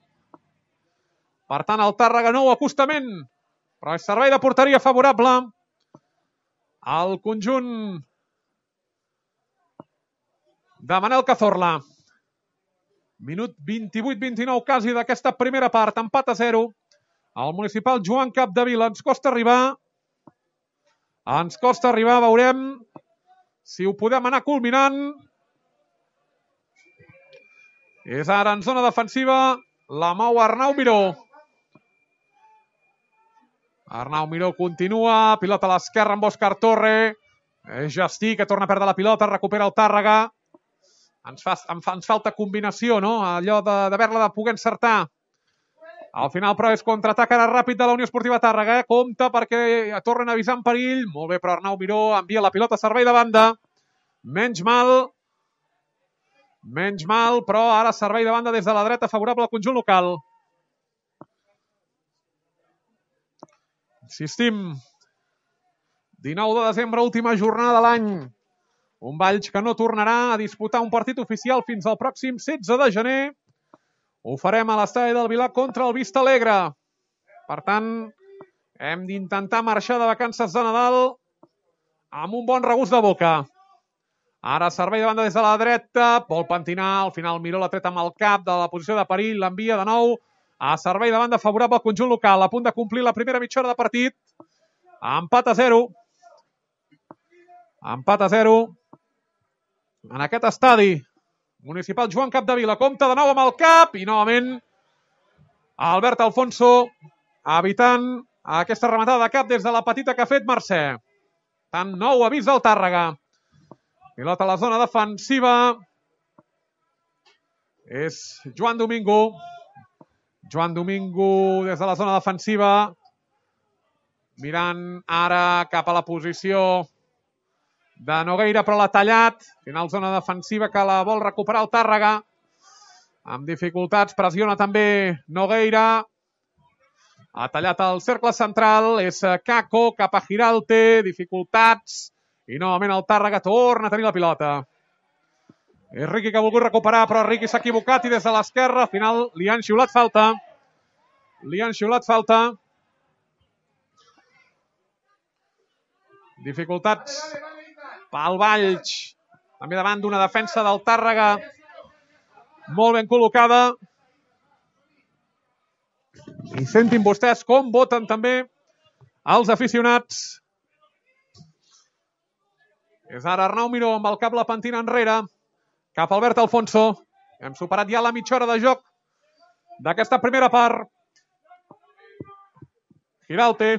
Per tant, el Tàrrega nou acostament, però és servei de porteria favorable al conjunt de Manel Cazorla. Minut 28-29 quasi d'aquesta primera part, empat a 0. El municipal Joan Capdevila. Ens costa arribar. Veurem si ho podem anar culminant. És ara en zona defensiva. La mou Arnau Miró. Arnau Miró continua. Pilota a l'esquerra amb Òscar Torre. És Justí que torna a perdre la pilota. Recupera el Tàrrega. Ens falta combinació, no? Allò d'haver-la de poder encertar. Al final, però, és contraatac ara ràpid de la Unió Esportiva Tàrrega. Compte perquè tornen a avisar en perill. Molt bé, però Arnau Miró envia la pilota a servei de banda. Menys mal, però ara servei de banda des de la dreta favorable al conjunt local. Insistim. 19 de desembre, última jornada de l'any. Un Valls que no tornarà a disputar un partit oficial fins al pròxim 16 de gener. Ho farem a l'estadi del Vilar contra el Vista Alegre. Per tant, hem d'intentar marxar de vacances de Nadal amb un bon regust de boca. Ara servei de banda des de la dreta. Vol pentinar, al final Miró l'ha tret amb el cap de la posició de perill. L'envia de nou a servei de banda favorable al conjunt local. A punt de complir la primera mitja hora de partit. Empat a 0. Empat a 0. En aquest estadi municipal Joan Capdevila compta de nou amb el cap i novament Albert Alfonso evitant aquesta rematada de cap des de la petita que ha fet Mercè. Tant nou avís del Tàrrega. Pilota a la zona defensiva. És Joan Domingo. Joan Domingo des de la zona defensiva. Mirant ara cap a la posició de Nogueira, però l'ha tallat. Final zona defensiva que la vol recuperar el Tàrrega. Amb dificultats, pressiona també Nogueira. Ha tallat el cercle central, és Caco cap a Giralte, dificultats. I novament el Tàrrega torna a tenir la pilota. És Riqui que ha volgut recuperar, però Riqui s'ha equivocat i des de l'esquerra, al final li han xiulat falta. Li han xiulat falta. Dificultats pel Valls, també davant d'una defensa del Tàrrega molt ben col·locada. I sentin vostès com voten també els aficionats. És ara Arnau Miró amb el cap la pentina enrere, cap a Albert Alfonso. Hem superat ja la mitja hora de joc d'aquesta primera part. Giralte.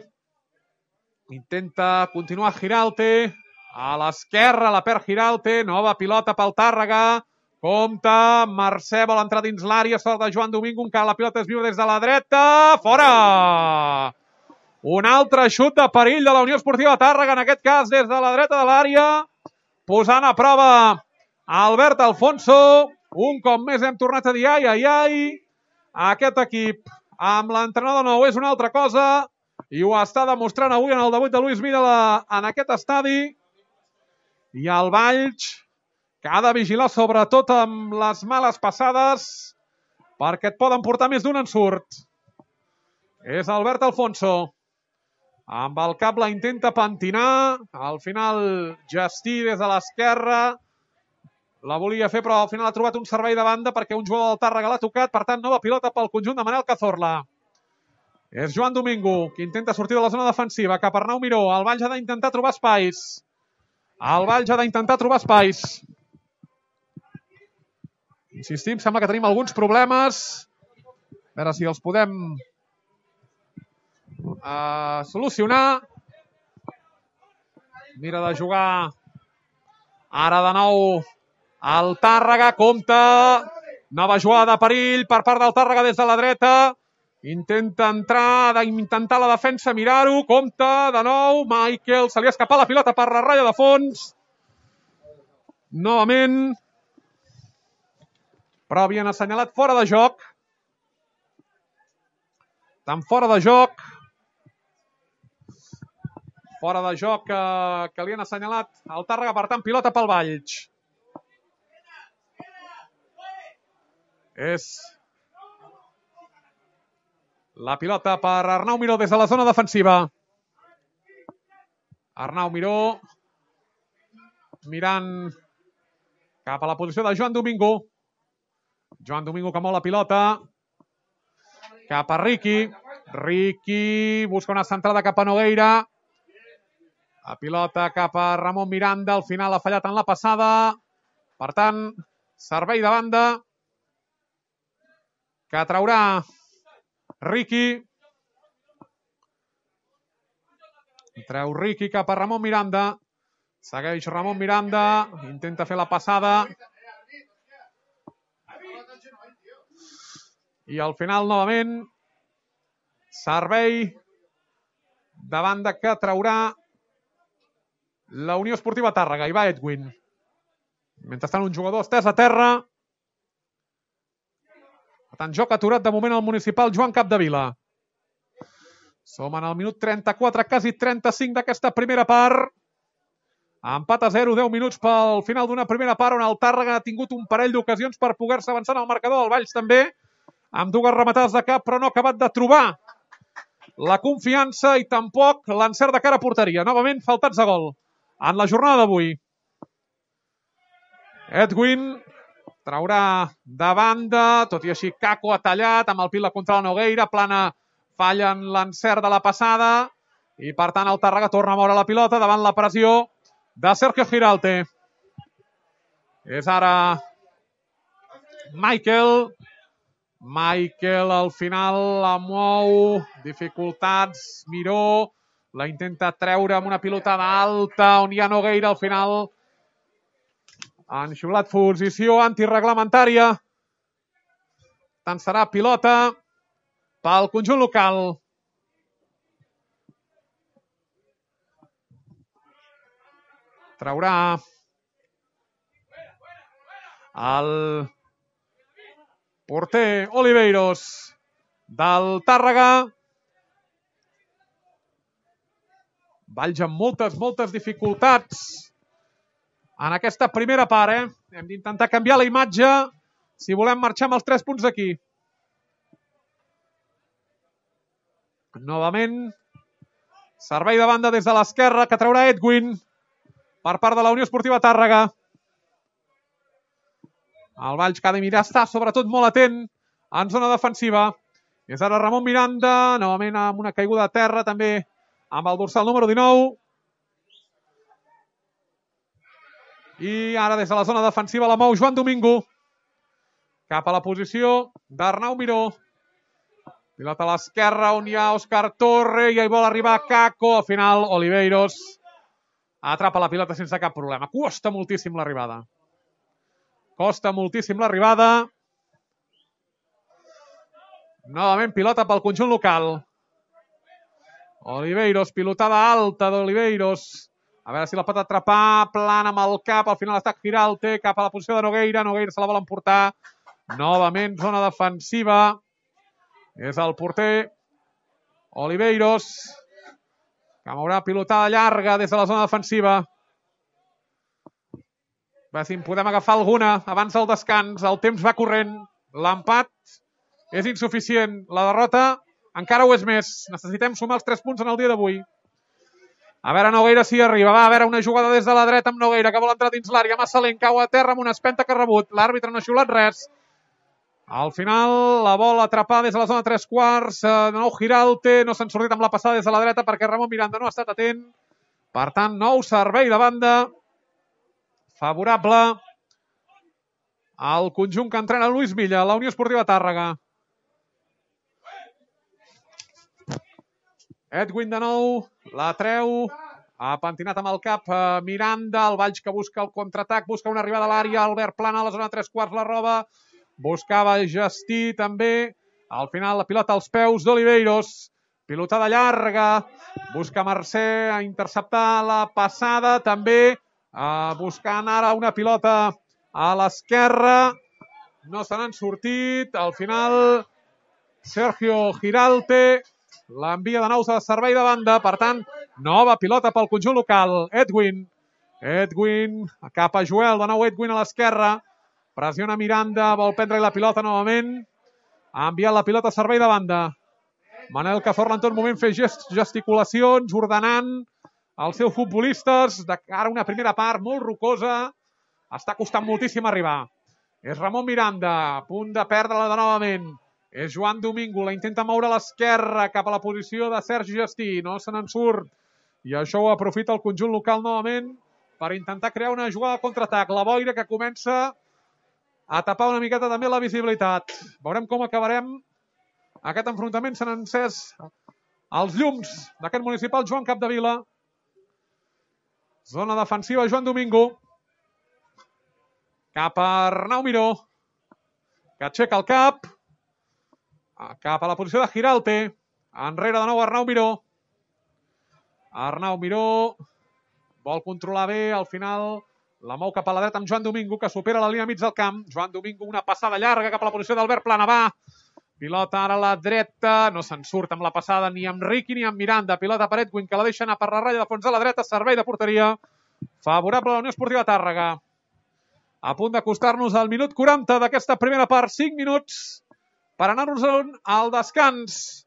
Intenta continuar Giralte. A l'esquerra la perd Giralte. Nova pilota pel Tàrrega. Compte. Mercè vol entrar dins l'àrea. Sort de Joan Domingo. Encara la pilota es viu des de la dreta. Fora! Un altre xut de perill de la Unió Esportiva Tàrrega. En aquest cas des de la dreta de l'àrea. Posant a prova Albert Alfonso. Un cop més hem tornat a dir ai, ai, ai. Aquest equip amb l'entrenador nou és una altra cosa. I ho està demostrant avui en el debut de Luis Milla en aquest estadi. I el Valls, que ha de vigilar sobretot amb les males passades, perquè et poden portar més d'un ensurt. És Albert Alfonso. Amb el cap la intenta pentinar. Al final Gestí des de l'esquerra. La volia fer, però al final ha trobat un servei de banda perquè un jugador del Tàrrega l'ha tocat. Per tant, nova pilota pel conjunt de Manel Cazorla. És Joan Domingo, que intenta sortir de la zona defensiva, cap a Arnau Miró. El Valls ha d'intentar trobar espais. El Valls ha d'intentar trobar espais. Insistim, sembla que tenim alguns problemes. A veure si els podem solucionar. Mira de jugar ara de nou el Tàrrega. Compte. Nova jugada de perill per part del Tàrrega des de la dreta. Intenta entrar, d'intentar la defensa, mirar-ho, compte, de nou, Michael, se li ha escapat la pilota per la ratlla de fons. Novament. Però havien assenyalat fora de joc. Tan fora de joc. Fora de joc que li han assenyalat al Tàrrega, per tant, pilota pel Valls. És la pilota per Arnau Miró des de la zona defensiva. Arnau Miró mirant cap a la posició de Joan Domingo. Joan Domingo que mou la pilota. Cap a Riqui. Riqui busca una centrada cap a Nogueira. La pilota cap a Ramon Miranda. Al final ha fallat en la passada. Per tant, servei de banda que traurà Riqui. Treu Riqui cap a Ramon Miranda. Segueix Ramon Miranda. Intenta fer la passada. I al final, novament, servei de banda que traurà la Unió Esportiva Tàrrega. Hi va Edwin. Mentrestant, un jugador estès a terra. Per tant, joc aturat de moment al municipal Joan Capdevila. Som en el minut 34, quasi 35 d'aquesta primera part. Empat a 0, 10 minuts pel final d'una primera part on el Tàrrega ha tingut un parell d'ocasions per poder-se avançar en el marcador. El Valls també, amb dues rematades de cap, però no ha acabat de trobar la confiança i tampoc l'encert de cara a porteria. Novament, faltats de gol en la jornada d'avui. Edwin traurà de banda, tot i així Kako ha tallat, amb el pila contra la Nogueira, Plana falla en l'encert de la passada, i per tant el Tàrrega torna a moure la pilota davant la pressió de Sergio Giralte. És ara Michael al final la mou, dificultats, Miró, la intenta treure amb una pilotada alta, on hi ha Nogueira al final. Han xiulat posició antirreglamentària. Tant serà pilota pel conjunt local. Traurà el porter Oliveiros del Tàrrega. Valls amb moltes dificultats en aquesta primera part. Hem d'intentar canviar la imatge si volem marxar amb els 3 punts d'aquí. Novament, servei de banda des de l'esquerra que traurà Edwin per part de la Unió Esportiva Tàrrega. El Valls que ha de mirar està sobretot molt atent en zona defensiva. És ara Ramon Miranda, novament amb una caiguda a terra, també amb el dorsal número 19. I ara des de la zona defensiva la mou Joan Domingo cap a la posició d'Arnau Miró. Pilota a l'esquerra on hi ha Òscar Torre i hi vol arribar Kako. Al final Oliveiros atrapa la pilota sense cap problema. Costa moltíssim l'arribada. Novament pilota pel conjunt local. Oliveiros, pilotada alta d'Oliveiros. A veure si la pot atrapar, Plana amb el cap, al final està Giralte, cap a la posició de Nogueira. Nogueira se la vol emportar. Novament zona defensiva. És el porter Oliveiros, que mourà pilotada llarga des de la zona defensiva. A veure si en podem agafar alguna abans del descans. El temps va corrent. L'empat és insuficient. La derrota encara ho és més. Necessitem sumar els 3 punts en el dia d'avui. A veure Nogueira si arriba. Va, a veure una jugada des de la dreta amb Nogueira que vol entrar dins l'àrea. Massa lent, cau a terra amb una espenta que ha rebut. L'àrbitre no ha xiulat res. Al final la vol atrapar des de la zona 3/4. De nou Giralte. No s'han sortit amb la passada des de la dreta perquè Ramon Miranda no ha estat atent. Per tant, nou servei de banda favorable al conjunt que entrena Lluís Milla, la Unió Esportiva Tàrrega. Edwin de nou, la treu, ha pentinat amb el cap Miranda, el Valls que busca el contraatac, busca una arribada a l'àrea, Albert Plana a la zona 3/4 la roba, buscava Gestí també, al final la pilota als peus d'Oliveiros, pilotada llarga, busca Mercè a interceptar la passada, també buscant ara una pilota a l'esquerra, no se n'han sortit, al final Sergio Giralte l'envia de nou a servei de banda, per tant, nova pilota pel conjunt local. Edwin cap a Joel, de nou Edwin a l'esquerra, pressiona Miranda, vol prendre la pilota novament, ha enviat la pilota a servei de banda. Manel Cazorla en tot moment fer gesticulacions, ordenant els seus futbolistes de cara a una primera part molt rocosa, està costant moltíssim arribar. És Ramon Miranda, a punt de perdre-la de novament. És Joan Domingo, la intenta moure a l'esquerra cap a la posició de Sergi Gestí, no se n'en surt. I això ho aprofita el conjunt local novament per intentar crear una jugada de contraatac. La boira que comença a tapar una miqueta també la visibilitat. Veurem com acabarem aquest enfrontament. S'han encès els llums d'aquest municipal Joan Capdevila. Zona defensiva Joan Domingo. Cap a Arnau Miró, que aixeca el cap. Cap a la posició de Giralte. Enrere de nou Arnau Miró. Arnau Miró vol controlar bé, al final la mou cap a la dreta amb Joan Domingo, que supera la línia mig del camp. Joan Domingo, una passada llarga cap a la posició d'Albert Plana. Va, pilota ara a la dreta, no se'n surt amb la passada ni amb Riqui ni amb Miranda. Pilota per Edwin, que la deixa anar per la ratlla de fons a la dreta, servei de porteria favorable a la Unió Esportiva Tàrrega. A punt d'acostar-nos al minut 40 d'aquesta primera part, 5 minuts per anar-nos al descans.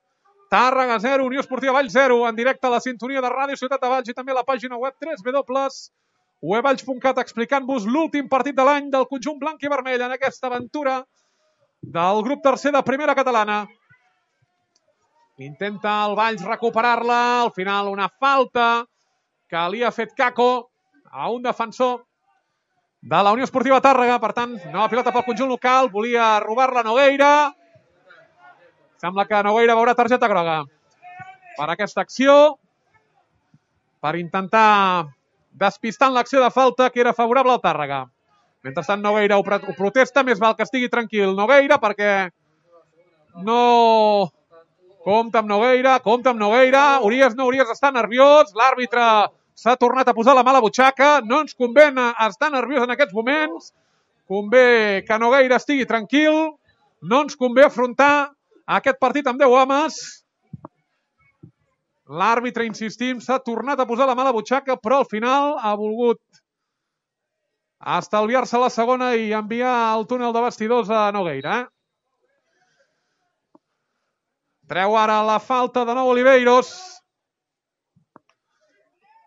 Tàrrega 0, Unió Esportiva Valls 0, en directe a la sintonia de Ràdio Ciutat de Valls i també a la pàgina web www.uevalls.cat, explicant-vos l'últim partit de l'any del conjunt blanc i vermell en aquesta aventura del grup tercer de primera catalana. Intenta el Valls recuperar-la, al final una falta que li ha fet Caco a un defensor de la Unió Esportiva Tàrrega. Per tant, nova pilota pel conjunt local, volia robar-la Nogueira. Sembla que Nogueira veurà targeta groga per aquesta acció, per intentar despistar en l'acció de falta que era favorable al Tàrrega. Mentrestant Nogueira ho protesta, més val que estigui tranquil Nogueira, perquè no... Compte amb Nogueira, Urias està nerviós, l'àrbitre s'ha tornat a posar la mà a la butxaca, no ens convé estar nerviós en aquests moments, convé que Nogueira estigui tranquil, no ens convé afrontar aquest partit amb 10 homes. L'àrbitre, insistim, s'ha tornat a posar la mà a la butxaca, però al final ha volgut estalviar-se la segona i enviar al túnel de vestidors a Nogueira. Treu ara la falta de nou Oliveiros.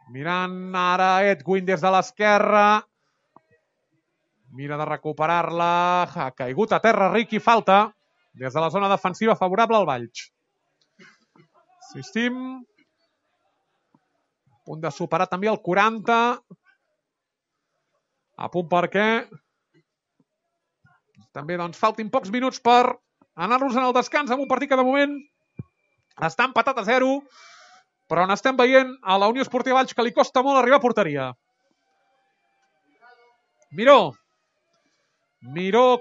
Mirant ara Edwin des de l'esquerra. Mira de recuperar-la. Ha caigut a terra Riqui, falta des de la zona defensiva favorable al Valls. Insistim. A punt de superar també el 40. A punt perquè també doncs faltin pocs minuts per anar-nos en el descans amb un partit que de moment està empatat a 0, però on estem veient a la Unió Esportiva Valls que li costa molt arribar a porteria. Miró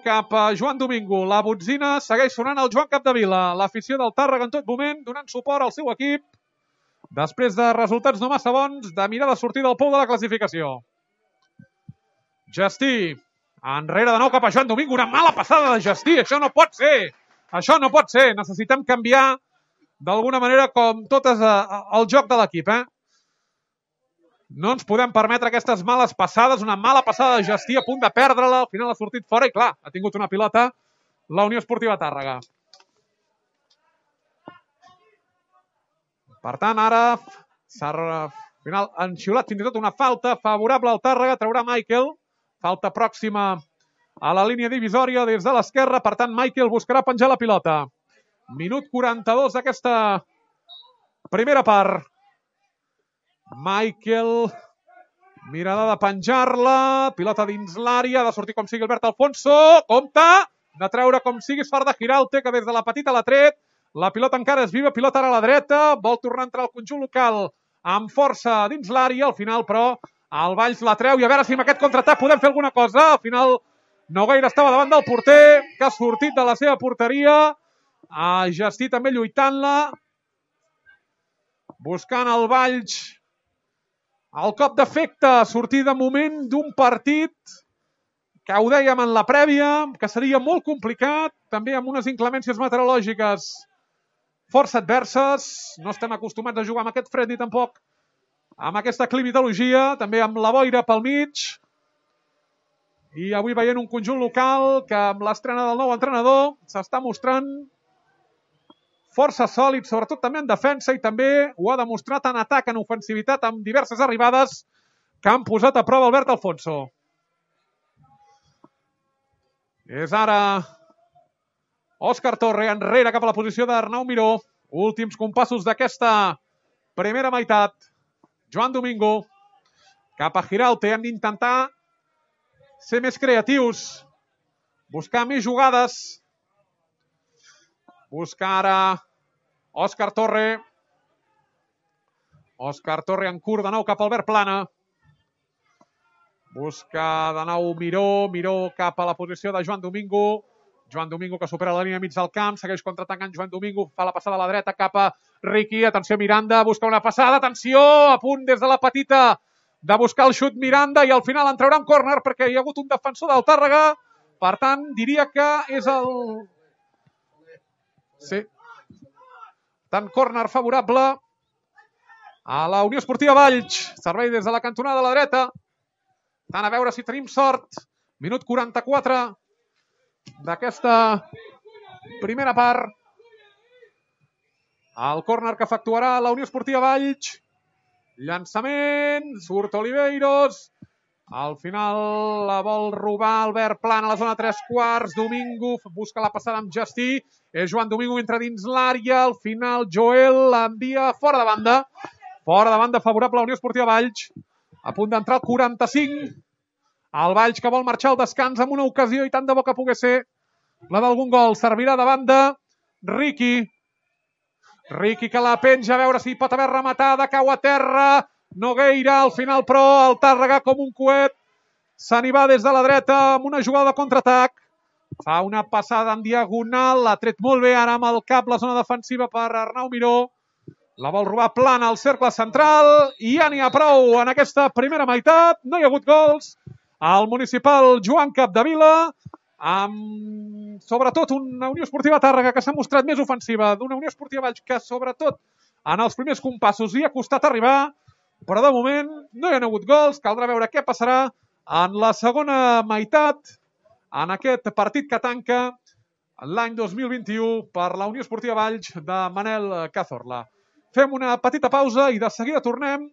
cap a Joan Domingo. La botzina segueix sonant al Joan Capdevila. L'afició del Tàrrega en tot moment donant suport al seu equip després de resultats no massa bons, de mirar de sortir del pou de la classificació. Gestí. Enrere de nou cap a Joan Domingo. Una mala passada de Gestí. Això no pot ser. Necessitem canviar d'alguna manera com tot és el joc de l'equip. No ens podem permetre aquestes males passades. Una mala passada de Gestí, a punt de perdre-la. Al final ha sortit fora i clar, ha tingut una pilota la Unió Esportiva Tàrrega. Per tant, ara s'ha al final enxiulat fins i tot una falta favorable al Tàrrega. Traurà Michael. Falta pròxima a la línia divisòria des de l'esquerra. Per tant, Michael buscarà penjar la pilota. Minut 42 d'aquesta primera part. Michael, mirada de penjar-la. Pilota dins l'àrea. Ha de sortir com sigui Albert Alfonso. Compte! De treure com sigui Sfarda Giralte, que des de la petita l'ha tret. La pilota encara és viva. Pilota ara a la dreta. Vol tornar a entrar al conjunt local amb força dins l'àrea. Al final, però, el Valls la treu i a veure si amb aquest contraatac podem fer alguna cosa. Al final, Nogueira estava davant del porter, que ha sortit de la seva porteria. A Gestí també lluitant-la. Buscant el Valls el cop d'efecte, sortir de moment d'un partit que ho dèiem en la prèvia, que seria molt complicat, també amb unes inclemències meteorològiques força adverses. No estem acostumats a jugar amb aquest fred ni tampoc amb aquesta climatologia, també amb la boira pel mig. I avui veient un conjunt local que amb l'estrena del nou entrenador s'està mostrant força sòlid, sobretot també en defensa, i també ho ha demostrat en atac, en ofensivitat, amb diverses arribades que han posat a prova Albert Alfonso. És ara Òscar Torre enrere cap a la posició d'Arnau Miró. Últims compassos d'aquesta primera meitat. Joan Domingo cap a Giralte. Hem d'intentar ser més creatius, buscar més jugades. Busca ara Òscar Torre. Òscar Torre en curt de nou cap a Albert Plana. Busca de nou Miró cap a la posició de Joan Domingo. Joan Domingo que supera la línia mig del camp, segueix contraatacant Joan Domingo, fa la passada a la dreta cap a Riqui. Atenció Miranda, busca una passada, atenció, a punt des de la petita de buscar el xut Miranda i al final en traurà un córner perquè hi ha hagut un defensor del Tàrrega. Per tant, diria que és el... Sí. Tant córner favorable a la Unió Esportiva Valls. Servei des de la cantonada de la dreta. Tant a veure si tenim sort. Minut 44 d'aquesta primera part. El córner que efectuarà la Unió Esportiva Valls. Llançament, surt Oliveiros. Al final la vol robar Albert Plana a la zona 3/4. Domingo busca la passada amb Justí. És Joan Domingo, entra dins l'àrea. Al final Joel l'envia fora de banda. Fora de banda favorable a la Unió Esportiva Valls. A punt d'entrar al 45. El Valls que vol marxar al descans amb una ocasió i tant de bo que pogués ser la d'algun gol. Servirà de banda Riqui. Riqui que la penja, a veure si pot haver rematada, cau a terra. Nogueira, al final però el Tàrrega com un coet se n'hi va des de la dreta amb una jugada de contraatac. Fa una passada en diagonal, l'ha tret molt bé ara amb el cap la zona defensiva per Arnau Miró. La vol robar Plana al cercle central i ja n'hi ha prou en aquesta primera meitat. No hi ha hagut gols. El municipal Joan Capdevila, amb sobretot una Unió Esportiva Tàrrega que s'ha mostrat més ofensiva, d'una Unió Esportiva Valls que sobretot en els primers compassos hi ha costat arribar, però de moment no hi ha hagut gols. Caldrà veure què passarà en la segona meitat, en aquest partit que tanca l'any 2021 per la Unió Esportiva Valls de Manel Cazorla. Fem una petita pausa i de seguida tornem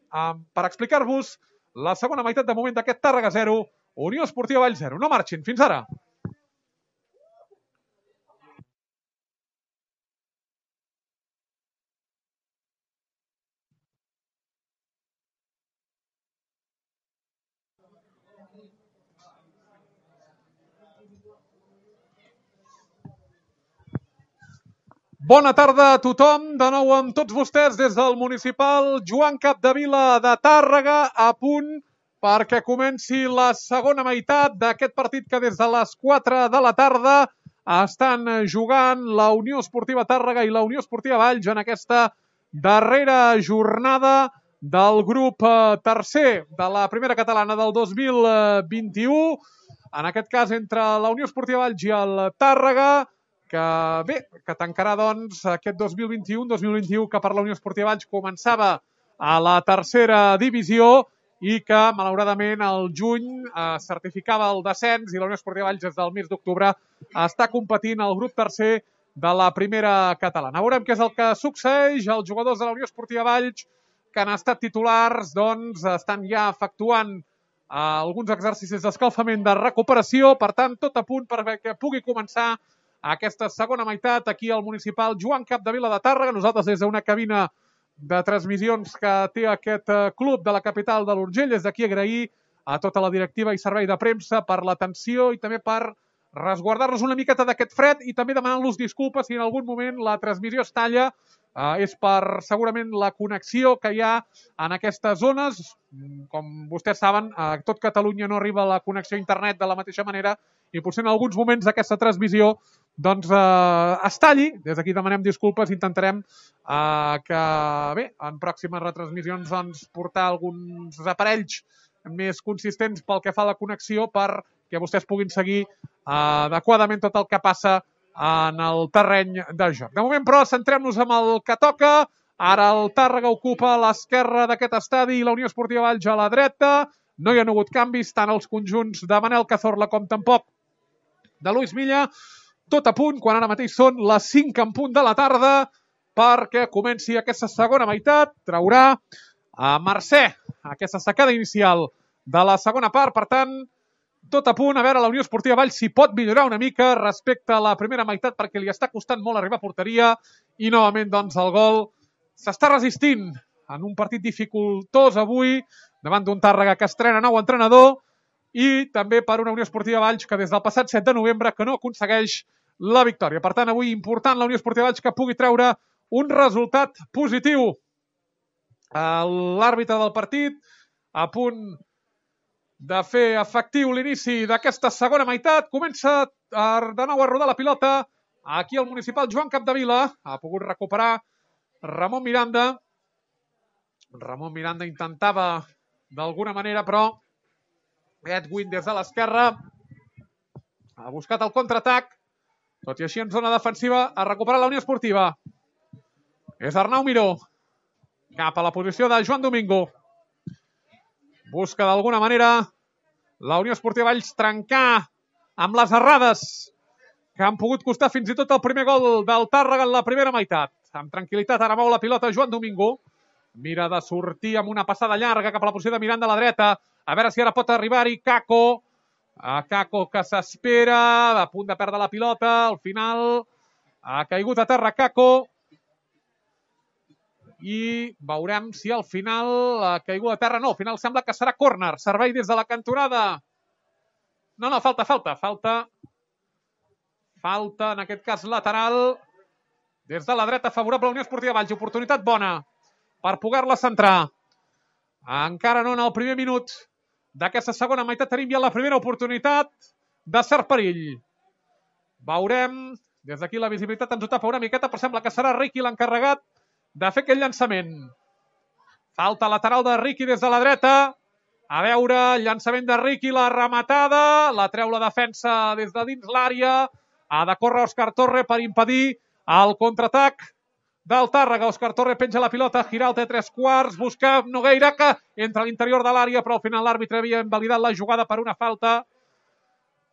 per explicar-vos la segona meitat de moment d'aquest Tàrrega 0, Unió Esportiva Valls 0. No marxin, fins ara. Bona tarda a tothom, de nou amb tots vostès des del municipal Joan Capdevila de Tàrrega, a punt perquè comenci la segona meitat d'aquest partit que des de les 4 de la tarda estan jugant la Unió Esportiva Tàrrega i la Unió Esportiva Valls en aquesta darrera jornada del grup tercer de la primera catalana del 2021. En aquest cas entre la Unió Esportiva Valls i el Tàrrega, que tancarà doncs aquest 2021 que per la Unió Esportiva Valls començava a la tercera divisió i que malauradament al juny certificava el descens i la Unió Esportiva Valls des del mes d'octubre està competint al grup tercer de la primera catalana. Veurem què és el que succeeix. Els jugadors de la Unió Esportiva Valls que han estat titulars doncs estan ja efectuant alguns exercicis d'escalfament de recuperació, per tant tot a punt perquè pugui començar aquesta segona meitat aquí al municipal Joan Capdevila de Tàrrega. Nosaltres des d'una cabina de transmissions que té aquest club de la capital de l'Urgell, des d'aquí agrair a tota la directiva i servei de premsa per l'atenció i també per resguardar-nos una miqueta d'aquest fred i també demanant-los disculpes si en algun moment la transmissió es talla. És per segurament la connexió que hi ha en aquestes zones. Com vostès saben, a tot Catalunya no arriba la connexió a internet de la mateixa manera i potser en alguns moments d'aquesta transmissió doncs es talli. Des d'aquí demanem disculpes, intentarem que bé, en pròximes retransmissions doncs, portar alguns aparells més consistents pel que fa a la connexió perquè vostès puguin seguir adequadament tot el que passa en el terreny de joc. De moment, però, centrem-nos en el que toca. Ara el Tàrrega ocupa l'esquerra d'aquest estadi i la Unió Esportiva Valls a la dreta. No hi ha hagut canvis, tant els conjunts de Manel Cazorla com tampoc de Luis Milla. Tot a punt, quan ara mateix són les 5 en punt de la tarda, perquè comenci aquesta segona meitat. Traurà a Mercè aquesta secada inicial de la segona part. Per tant, tot a punt, a veure la Unió Esportiva Valls si pot millorar una mica respecte a la primera meitat perquè li està costant molt arribar a porteria i novament doncs el gol s'està resistint en un partit dificultós avui davant d'un Tàrrega que estrena nou entrenador i també per una Unió Esportiva Valls que des del passat 7 de novembre que no aconsegueix la victòria. Per tant, avui important la Unió Esportiva Valls que pugui treure un resultat positiu. L'àrbitre del partit a punt de fer efectiu l'inici d'aquesta segona meitat. Comença de nou a rodar la pilota aquí al municipal Joan Capdevila. Ha pogut recuperar Ramon Miranda. Ramon Miranda intentava d'alguna manera, però Edwin des de l'esquerra ha buscat el contraatac. Tot i així en zona defensiva ha recuperat la Unió Esportiva. És Arnau Miró. cap a la posició de Joan Domingo. Busca d'alguna manera la Unió Esportiva Valls trencar amb les errades que han pogut costar fins i tot el primer gol del Tàrrega en la primera meitat. Amb tranquil·litat ara mou la pilota Joan Domingo. Mira de sortir amb una passada llarga cap a la posició de Miranda a la dreta. A veure si ara pot arribar-hi Kako. Kako que s'espera, a punt de perdre la pilota. Al final ha caigut a terra Kako. I veurem si al final ha caigut a terra. No, al final sembla que serà córner. Servei des de la cantonada. No, falta. Falta, en aquest cas lateral. Des de la dreta, favorable a la Unió Esportiva Valls. Oportunitat bona per poder-la centrar. Encara no en el primer minut d'aquesta segona meitat. Tenim ja la primera oportunitat de cert perill. Veurem. Des d'aquí la visibilitat ens ho tapa una miqueta, però sembla que serà Riqui l'encarregat de fer aquell llançament. Falta lateral de Riqui des de la dreta. A veure, llançament de Riqui, la rematada. La treu la defensa des de dins l'àrea. Ha de córrer Òscar Torre per impedir el contraatac del Tàrrega. Òscar Torre penja la pilota. Giralt a 3/4. Busca Nogueira, que entra a l'interior de l'àrea, però al final l'àrbitre havia invalidat la jugada per una falta.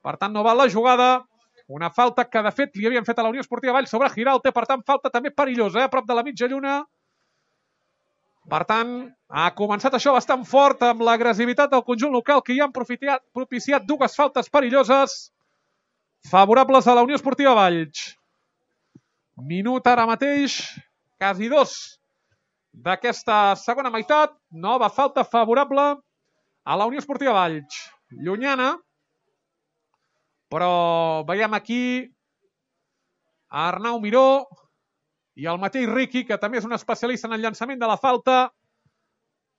Per tant, no val la jugada. Una falta que, de fet, li havien fet a la Unió Esportiva Valls sobre Giralte. Per tant, falta també perillosa, a prop de la mitja lluna. Per tant, ha començat això bastant fort amb l'agressivitat del conjunt local, que hi han propiciat dues faltes perilloses favorables a la Unió Esportiva Valls. Minut ara mateix, quasi 2 d'aquesta segona meitat. Nova falta favorable a la Unió Esportiva Valls. Llunyana, però veiem aquí a Arnau Miró i el mateix Riqui, que també és un especialista en el llançament de la falta,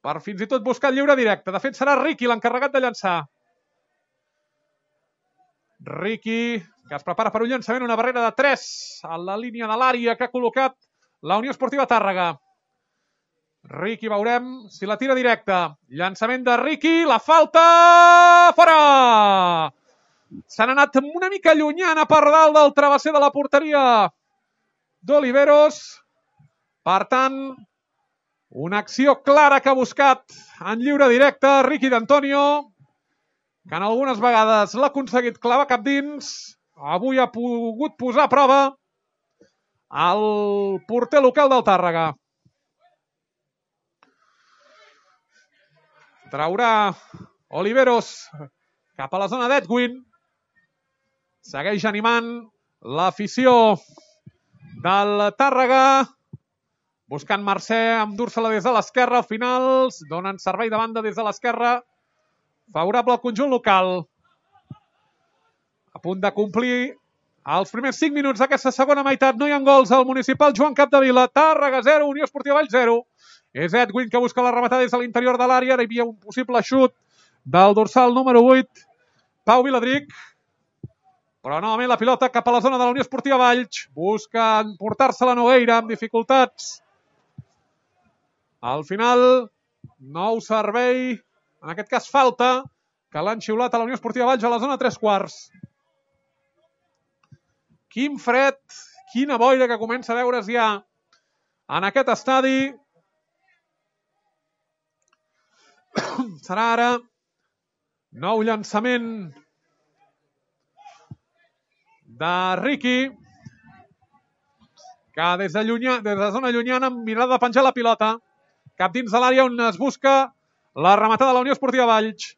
per fins i tot buscar el lliure directe. De fet, serà Riqui l'encarregat de llançar. Riqui, que es prepara per un llançament, una barrera de 3 a la línia de l'àrea que ha col·locat la Unió Esportiva Tàrrega. Riqui, veurem si la tira directa. Llançament de Riqui, la falta... Fora! S'han anat una mica llunyana per dalt del travesser de la porteria d'Oliveros. Per tant, una acció clara que ha buscat en lliure directe Riqui d'Antonio, que en algunes vegades l'ha aconseguit clavar cap dins. Avui ha pogut posar a prova el porter local del Tàrrega. Traurà Oliveros cap a la zona d'Edwin. Segueix animant l'afició del Tàrrega, buscant Mercè, endur-se-la des de l'esquerra. Al final donen servei de banda des de l'esquerra, favorable al conjunt local. A punt de complir els primers 5 minuts d'aquesta segona meitat. No hi ha gols al municipal Joan Capdevila. Tàrrega 0, Unió Esportiva Valls 0. És Edwin que busca la rematada des de l'interior de l'àrea. Hi havia un possible xut del dorsal número 8, Pau Viladric. Però novament la pilota cap a la zona de la Unió Esportiva Valls. Busca portar-se la Nogueira amb dificultats. Al final, nou servei, en aquest cas falta, que l'han xiulat a la Unió Esportiva Valls a la zona 3/4. Quin fred, quina boira que comença a veure's ja en aquest estadi. Serà ara nou llançament de Riqui, que des de zona llunyana, amb mirada de penjar la pilota cap dins de l'àrea on es busca la rematada de la Unió Esportiva Valls.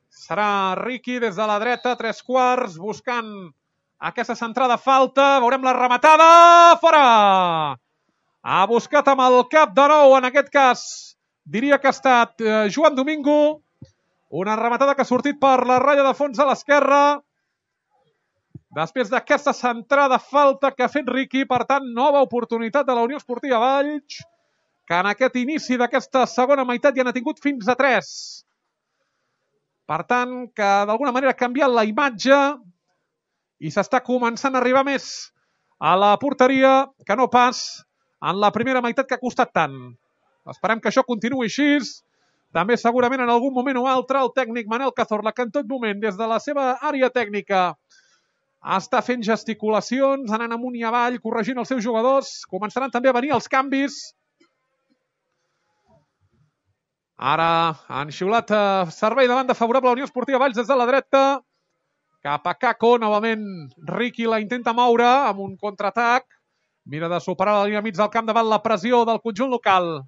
Serà Riqui des de la dreta, 3/4, buscant aquesta centrada, falta. Veurem la rematada. Fora! Ha buscat amb el cap de nou, en aquest cas diria que ha estat Joan Domingo. Una rematada que ha sortit per la ratlla de fons a l'esquerra. Després d'aquesta centrada, falta que ha fet Riqui. Per tant, nova oportunitat de la Unió Esportiva Valls, que en aquest inici d'aquesta segona meitat ja n'ha tingut fins a 3. Per tant, que d'alguna manera ha canviat la imatge i s'està començant a arribar més a la porteria que no pas en la primera meitat, que ha costat tant. Esperem que això continuï així. També segurament en algun moment o altre el tècnic Manel Cazorla, que en tot moment des de la seva àrea tècnica està fent gesticulacions, anant amunt i avall, corregint els seus jugadors. Començaran també a venir els canvis. Ara han xiulat servei de banda favorable a la Unió Esportiva Valls des de la dreta. Cap a Kako, novament Riqui la intenta moure amb un contraatac. Mira de superar la línia mig del camp davant la pressió del conjunt local.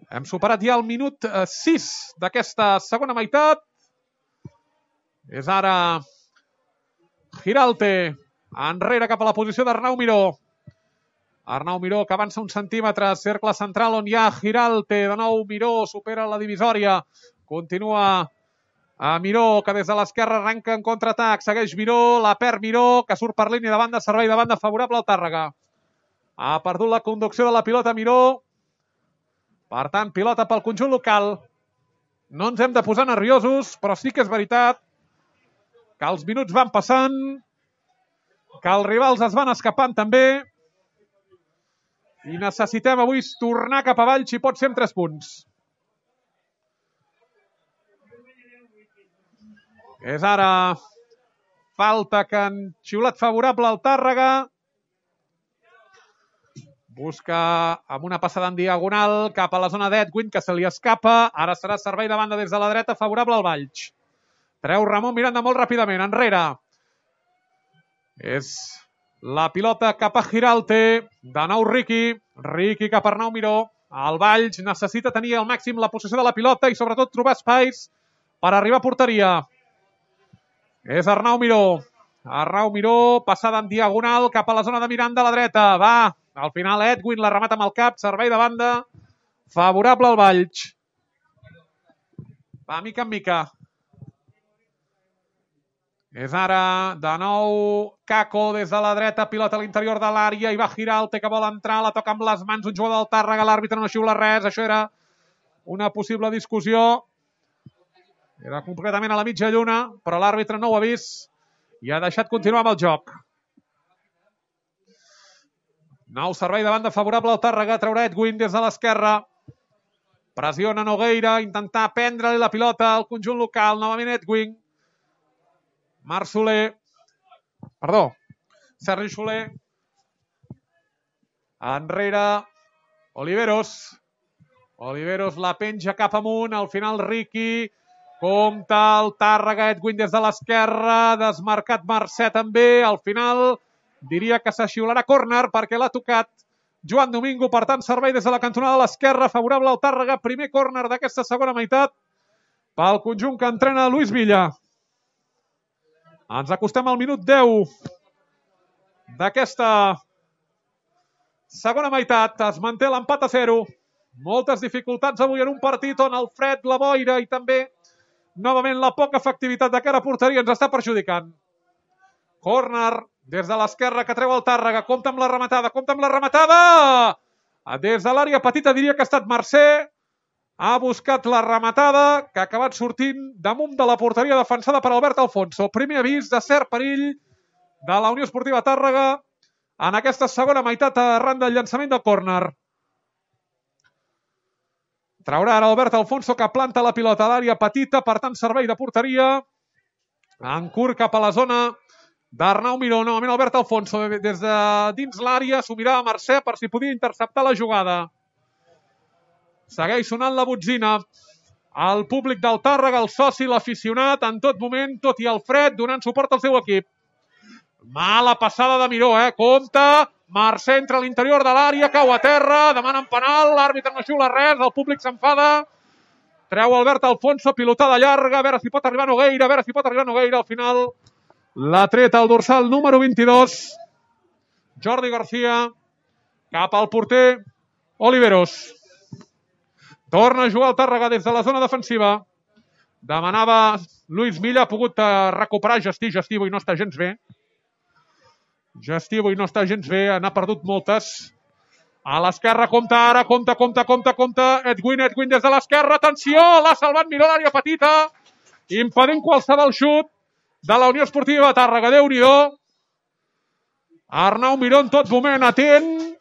Hem superat ja el minut 6 d'aquesta segona meitat. És ara Giralte, enrere cap a la posició d'Arnau Miró. Arnau Miró que avança un centímetre, cercle central on hi ha Giralte. De nou Miró supera la divisòria. Continua a Miró, que des de l'esquerra arrenca en contraatac. Segueix Miró, la perd Miró, que surt per línia de banda, servei de banda favorable al Tàrrega. Ha perdut la conducció de la pilota Miró. Per tant, pilota pel conjunt local. No ens hem de posar nerviosos, però sí que és veritat que els minuts van passant, que els rivals es van escapant també, i necessitem avui tornar cap avall, si pot ser amb 3 punts. És ara falta que han xiulat favorable al Tàrrega. Busca amb una passada en diagonal cap a la zona d'Edwin, que se li escapa. Ara serà servei de banda des de la dreta favorable al Valls. Treu Ramon Miranda molt ràpidament, enrere. És la pilota cap a Giralte. De nou Riqui. Riqui cap a Arnau Miró. El Valls necessita tenir al màxim la possessió de la pilota i sobretot trobar espais per arribar a porteria. És Arnau Miró. Arnau Miró, passada en diagonal cap a la zona de Miranda a la dreta. Va, al final Edwin la remata amb el cap, servei de banda favorable al Valls. Va, mica en mica. És ara, de nou, Kako des de la dreta, pilota a l'interior de l'àrea, i va Giralte que vol entrar, la toca amb les mans un jugador del Tàrrega, l'àrbitre no xiula res, això era una possible discussió. Era completament a la mitja lluna, però l'àrbitre no ho ha vist i ha deixat continuar amb el joc. Nou servei de banda favorable al Tàrrega, traurà Edwin des de l'esquerra. Pressiona Nogueira, intentar prendre-li la pilota al conjunt local, novament Edwin. Marc Soler, perdó, Sergi Soler, enrere, Oliveros la penja cap amunt, al final Riqui, compta el Tàrrega, Edwin des de l'esquerra, desmarcat Mercè també, al final diria que s'axiularà córner perquè l'ha tocat Joan Domingo, per tant servei des de la cantonada de l'esquerra, favorable al Tàrrega, primer córner d'aquesta segona meitat pel conjunt que entrena Luis Villa. Ens acostem al minut 10 d'aquesta segona meitat. Es manté l'empat a 0. Moltes dificultats avui en un partit on el fred, la boira i també, novament, la poca efectivitat de cara a porteria ens està perjudicant. Córner des de l'esquerra que treu el Tàrrega. Compta amb la rematada! Des de l'àrea petita diria que ha estat Mercè. Ha buscat la rematada, que ha acabat sortint damunt de la porteria defensada per Albert Alfonso. Primer avís de cert perill de la Unió Esportiva Tàrrega en aquesta segona meitat arran del llançament del córner. Traurà ara Albert Alfonso, que planta la pilota a l'àrea petita, per tant servei de porteria. En curt cap a la zona d'Arnau Miró. Novament Albert Alfonso des de dins l'àrea, s'ho mirava a Mercè per si podia interceptar la jugada. Segueix sonant la botzina. El públic del Tàrrega, el soci, l'aficionat, en tot moment, tot i el fred, donant suport al seu equip. Mala passada de Miró, compta. Mercè entra a l'interior de l'àrea, cau a terra, demanen penal, l'àrbitre no xiula res, el públic s'enfada. Treu Albert Alfonso, pilotada llarga, a veure si pot arribar Nogueira, al final l'ha tret el dorsal número 22. Jordi García, cap al porter Oliveros. Torna a jugar el Tàrrega des de la zona defensiva. Demanava Luis Milla, ha pogut recuperar Gestí avui no està gens bé. N'ha perdut moltes. A l'esquerra compta ara, compta. Edwin des de l'esquerra, atenció, l'ha salvat Miró a l'àrea petita, impedint qualsevol xut de la Unió Esportiva Tàrrega. Déu-n'hi-do. Arnau Miró en tot moment atent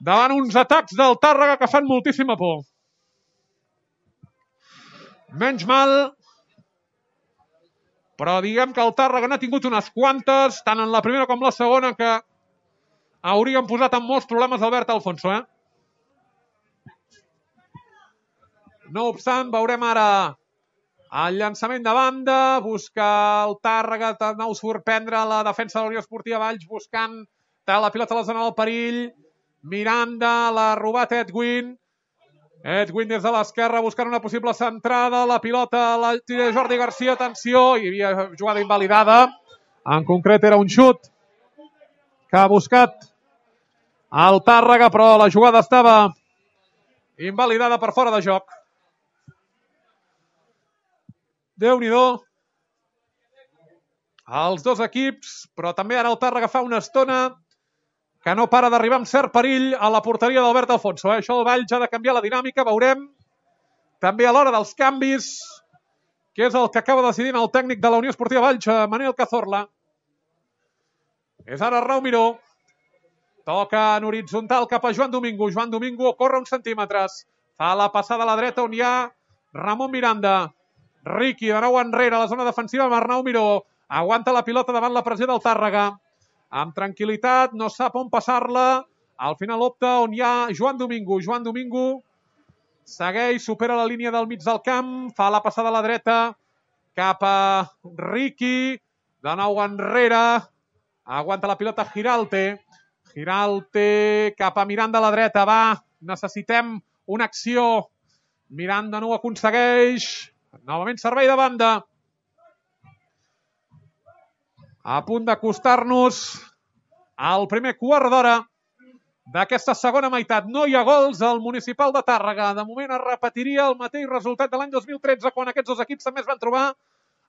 davant uns atacs del Tàrrega que fan moltíssima por. Menys mal però diguem que el Tàrrega n'ha tingut unes quantes, tant en la primera com la segona, que haurien posat en molts problemes Albert Alfonso, No obstant, veurem ara el llançament de banda, busca el Tàrrega, de nou sorprendre la defensa de la Unió Esportiva Valls, buscant la pilota a la zona del perill. Miranda, l'ha robat Edwin. Edwin des de l'esquerra buscant una possible centrada. La pilota la tira Jordi Garcia, atenció, hi havia jugada invalidada. En concret era un xut que ha buscat el Tàrrega, però la jugada estava invalidada per fora de joc. Déu-n'hi-do. Els dos equips, però també ara el Tàrrega fa una estona que no para d'arribar amb cert perill a la porteria d'Albert Alfonso. Això el Valls ha de canviar la dinàmica, veurem. També a l'hora dels canvis, que és el que acaba decidint el tècnic de la Unió Esportiva Valls, Manel Cazorla. És ara Arnau Miró. Toca en horitzontal cap a Joan Domingo. Joan Domingo corre uns centímetres. Fa la passada a la dreta on hi ha Ramon Miranda. Riqui de nou enrere a la zona defensiva amb Arnau Miró. Aguanta la pilota davant la pressió del Tàrrega. Amb tranquil·litat, no sap on passar-la. Al final opta on hi ha Joan Domingo. Joan Domingo segueix, supera la línia del mig del camp. Fa la passada a la dreta cap a Riqui. De nou enrere. Aguanta la pilota Giralte. Giralte cap a Miranda a la dreta. Va, necessitem una acció. Miranda no ho aconsegueix. Novament servei de banda. A punt d'acostar-nos al primer quart d'hora d'aquesta segona meitat. No hi ha gols al Municipal de Tàrrega. De moment es repetiria el mateix resultat de l'any 2013, quan aquests dos equips també es van trobar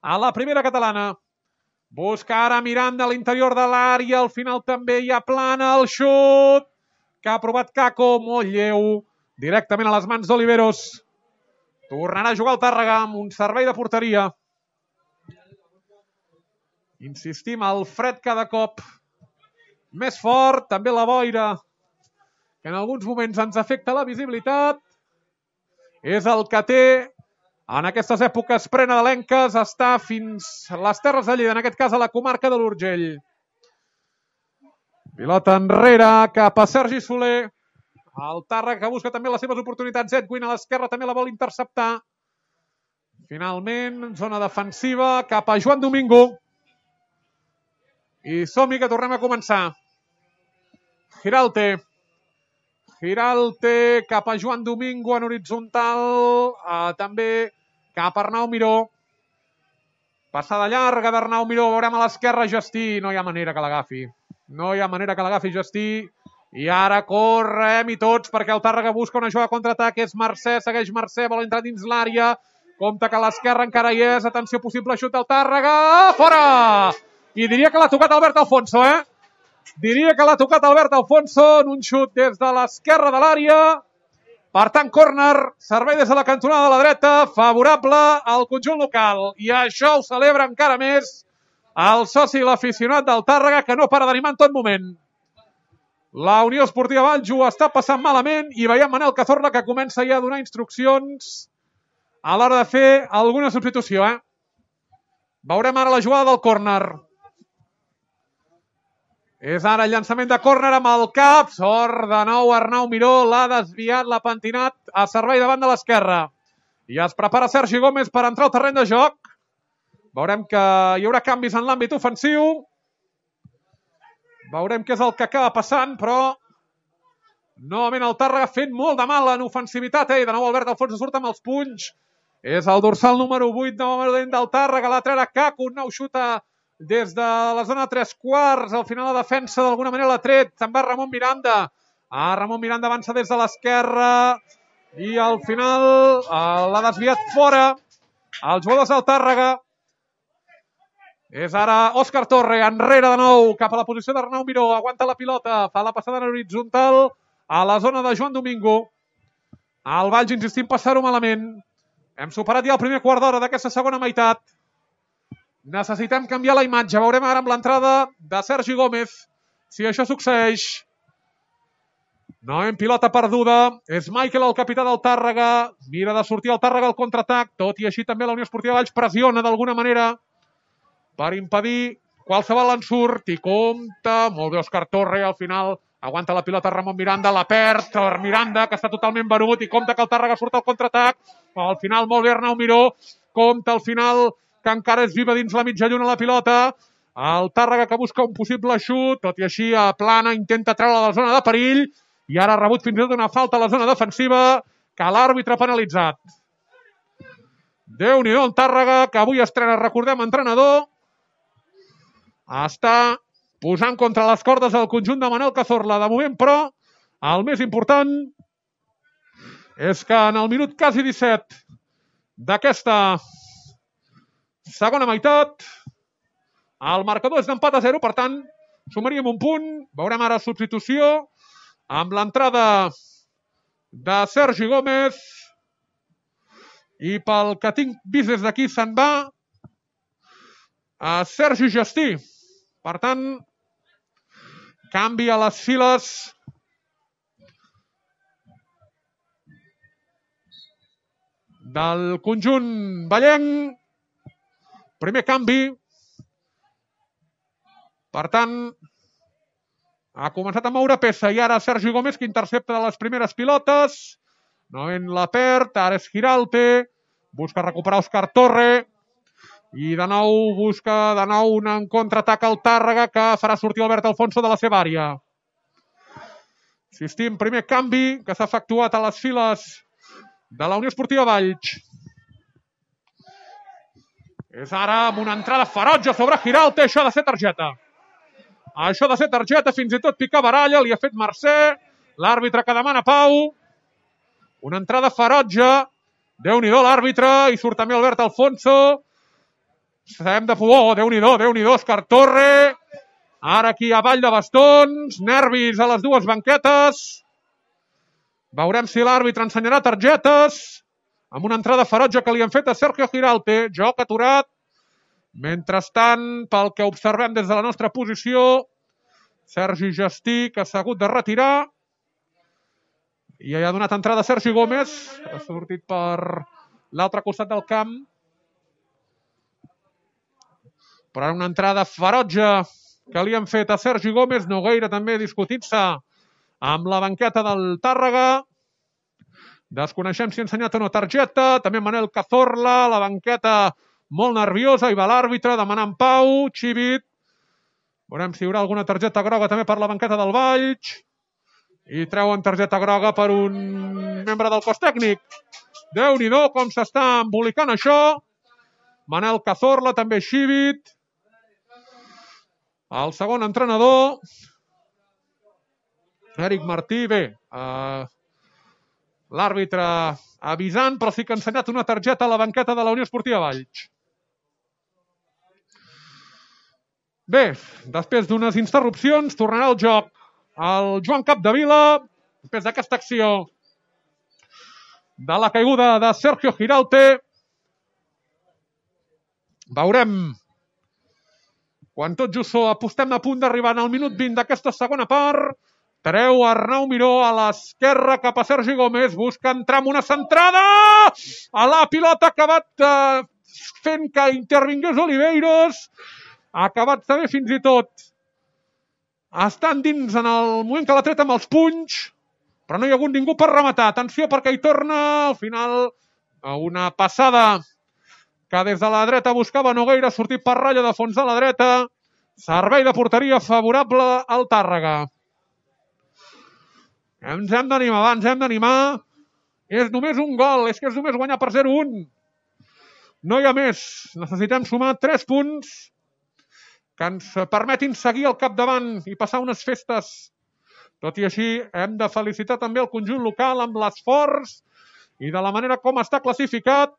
a la primera catalana. Busca ara Miranda a l'interior de l'àrea. Al final també hi ha plana. El xut que ha provat Caco. Molt lleu. Directament a les mans d'Oliveros. Tornarà a jugar el Tàrrega amb un servei de porteria. Insistim, el fred cada cop més fort. També la boira, que en alguns moments ens afecta la visibilitat. És el que té en aquestes èpoques prenadalenques estar fins a les Terres de Lleida, en aquest cas a la comarca de l'Urgell. Pilota enrere cap a Sergi Soler. El Tàrrega que busca també les seves oportunitats. Edwin a l'esquerra també la vol interceptar. Finalment, zona defensiva cap a Joan Domingo. I som-hi que tornem a començar. Giralte. Giralte cap a Joan Domingo en horitzontal. També cap a Arnau Miró. Passada llarga d'Arnau Miró. Veurem a l'esquerra Gestí. No hi ha manera que l'agafi. No hi ha manera que l'agafi Gestí. I ara correm i tots perquè el Tàrrega busca una jugada contraatac. És Mercè, segueix Mercè, vol entrar dins l'àrea. Compte que a l'esquerra encara hi és. Atenció, possible xut del Tàrrega. Fora! I diria que l'ha tocat Albert Alfonso, Diria que l'ha tocat Albert Alfonso en un xut des de l'esquerra de l'àrea. Per tant, córner, servei des de la cantonada de la dreta, favorable al conjunt local. I això ho celebra encara més el soci i l'aficionat del Tàrrega, que no para d'animar en tot moment. La Unió Esportiva Valls ho està passant malament i veiem Manel Cazorla que comença ja a donar instruccions a l'hora de fer alguna substitució, Veurem ara la jugada del córner. És ara el llançament de córner amb el cap. Sort de nou Arnau Miró. L'ha desviat, l'ha pentinat a servei davant de l'esquerra. I es prepara Sergi Gómez per entrar al terreny de joc. Veurem que hi haurà canvis en l'àmbit ofensiu. Veurem què és el que acaba passant, però novament el Tàrrega fent molt de mal en ofensivitat. De nou Albert Alfonso surt amb els punys. És el dorsal número 8 novament del Tàrrega. La trena Caco, un nou xuta des de la zona de 3/4. Al final la defensa d'alguna manera l'ha tret. Se'n va Ramon Miranda. Ramon Miranda avança des de l'esquerra i al final l'ha desviat fora. Els jugadors del Tàrrega. És ara Òscar Torre, enrere de nou, cap a la posició d'Arnau Miró. Aguanta la pilota, fa la passada en horitzontal a la zona de Joan Domingo. El Valls, insistim, passar-ho malament. Hem superat ja el primer quart d'hora d'aquesta segona meitat. Necessitem canviar la imatge. Veurem ara amb l'entrada de Sergi Gómez si això succeeix. No en pilota perduda. És Michael, el capità del Tàrrega. Mira de sortir el Tàrrega al contraatac. Tot i així també la Unió Esportiva Valls pressiona d'alguna manera per impedir qualsevol ensurt i compta. Molt bé Òscar Torre, al final aguanta la pilota Ramon Miranda, la perd per Miranda, que està totalment venut, i compta que el Tàrrega surt al contraatac. Al final molt bé Arnau Miró, compta al final que encara és viva dins la mitja lluna la pilota. El Tàrrega que busca un possible xut, tot i així a plana intenta treure la zona de perill, i ara ha rebut fins i tot una falta a la zona defensiva que l'àrbitre ha penalitzat. Déu-n'hi-do el Tàrrega, que avui estrena, recordem, entrenador. Està posant contra les cordes el conjunt de Manel Cazorla. De moment, però, el més important és que en el minut quasi 17 d'aquesta segona meitat el marcador és d'empat a 0, per tant, sumaríem un punt. Veurem ara substitució amb l'entrada de Sergi Gómez, i pel que tinc vist des d'aquí se'n va a Sergi Gestí. Per tant, canvi a les files del conjunt vallenc. Primer canvi. Per tant, ha començat a moure peça i ara Sergi Gómez, que intercepta de les primeres pilotes. Novament la perd, ara és Giralte, busca recuperar Òscar Torre i de nou busca un contraatac al Tàrrega que farà sortir Albert Alfonso de la seva àrea. Insistim, primer canvi que s'ha efectuat a les files de la Unió Esportiva Valls. És ara amb una entrada ferotge sobre Giralte, això ha de ser targeta. Això ha de ser targeta, fins i tot picabaralla, li ha fet Mercè, l'àrbitre que demana pau. Una entrada ferotge, Déu-n'hi-do l'àrbitre, i surt també Albert Alfonso. Sabem de por, Déu-n'hi-do, Òscar Torre. Ara aquí a Vall de Bastons, nervis a les dues banquetes. Veurem si l'àrbitre ensenyarà targetes, amb una entrada ferotge que li han fet a Sergio Giralte. Joc aturat. Mentrestant, pel que observem des de la nostra posició, Sergi Gestí, que s'ha hagut de retirar. I ha donat entrada Sergi Gómez, ha sortit per l'altre costat del camp. Però ara una entrada ferotge que li han fet a Sergi Gómez. Nogueira també discutint-se amb la banqueta del Tàrrega. Desconeixem si ha ensenyat o no targeta. També Manel Cazorla, la banqueta molt nerviosa. Hi va l'àrbitre demanant pau. Xivit. Veurem si hi haurà alguna targeta groga també per la banqueta del Valls. I treuen targeta groga per un membre del cos tècnic. Déu-n'hi-do com s'està embolicant això. Manel Cazorla, també Xivit. El segon entrenador, Eric Martí. Bé, l'àrbitre avisant, però sí que ha ensenyat una targeta a la banqueta de la Unió Esportiva Valls. Bé, després d'unes interrupcions, tornarà al joc el Joan Capdevila, després d'aquesta acció de la caiguda de Sergio Giralte. Veurem, quan tot just apostem a punt d'arribar al minut 20 d'aquesta segona part, treu Arnau Miró a l'esquerra cap a Sergi Gómez, busca entrar amb una centrada a la pilota, ha acabat fent que intervingués Oliveiros, ha acabat també fins i tot estant dins en el moment que l'ha tret amb els punys, però no hi ha hagut ningú per rematar. Atenció perquè hi torna, al final, una passada que des de la dreta buscava Nogueira, sortit per ratlla de fons de la dreta. Servei de porteria favorable al Tàrrega. Ens hem d'animar. És només un gol, és que és només guanyar per 0-1. No hi ha més. Necessitem sumar 3 punts que ens permetin seguir al capdavant i passar unes festes. Tot i així, hem de felicitar també el conjunt local amb l'esforç i de la manera com està classificat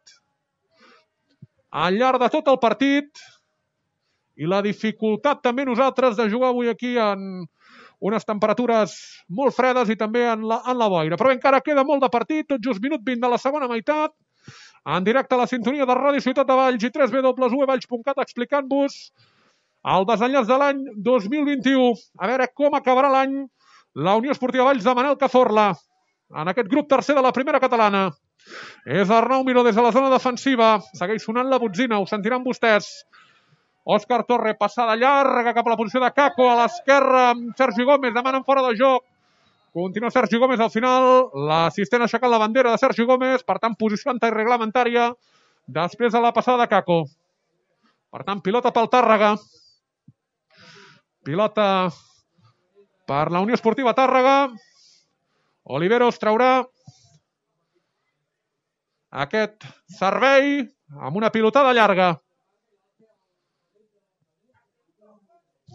al llarg de tot el partit, i la dificultat també nosaltres de jugar avui aquí en unes temperatures molt fredes i també en la boira. Però encara queda molt de partit, tot just minut 20 de la segona meitat, en directe a la sintonia de Ràdio Ciutat de Valls i www.valls.cat, explicant-vos el desenllaç de l'any 2021. A veure com acabarà l'any la Unió Esportiva Valls de Manel Cazorla en aquest grup tercer de la primera catalana. És Arnau Miró des de la zona defensiva. Segueix sonant la botzina, ho sentiran vostès. Òscar Torre, passada llarga cap a la posició de Kako, a l'esquerra amb Sergi Gómez, demanen fora de joc. Continua Sergi Gómez al final, l'assistent ha aixecat la bandera de Sergi Gómez, per tant, posició antireglamentària després de la passada de Kako. Per tant, pilota pel Tàrrega. Pilota per la Unió Esportiva Tàrrega. Oliveros traurà aquest servei amb una pilotada llarga.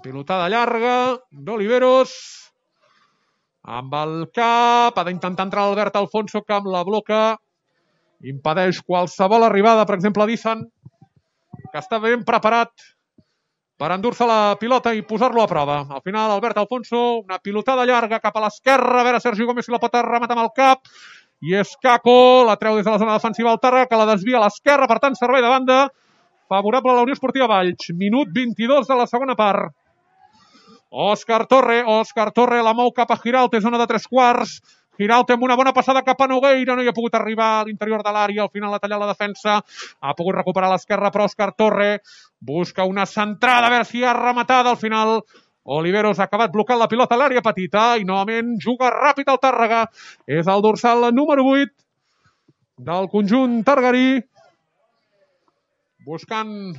Pilotada llarga d'Oliveros. Amb el cap, ha d'intentar entrar l'Albert Alfonso, que amb la bloca impedeix qualsevol arribada, per exemple, d'Izan, que està ben preparat per endur-se la pilota i posar-lo a prova. Al final, Albert Alfonso, una pilotada llarga cap a l'esquerra, a veure Sergi Gómez si la pot rematar amb el cap, i és Kako, la treu des de la zona defensiva al Tàrrega, que la desvia a l'esquerra, per tant, servei de banda, favorable a la Unió Esportiva Valls. Minut 22 de la segona part. Òscar Torre, la mou cap a Giralt, zona de 3/4. Giralt amb una bona passada cap a Nogueira, no hi ha pogut arribar a l'interior de l'àrea, al final ha tallat la defensa, ha pogut recuperar l'esquerra, però Òscar Torre busca una centrada, a veure si ha rematada, al final Oliveros ha acabat blocant la pilota a l'àrea petita i novament juga ràpid al Tàrrega. És el dorsal número 8 del conjunt targarí, buscant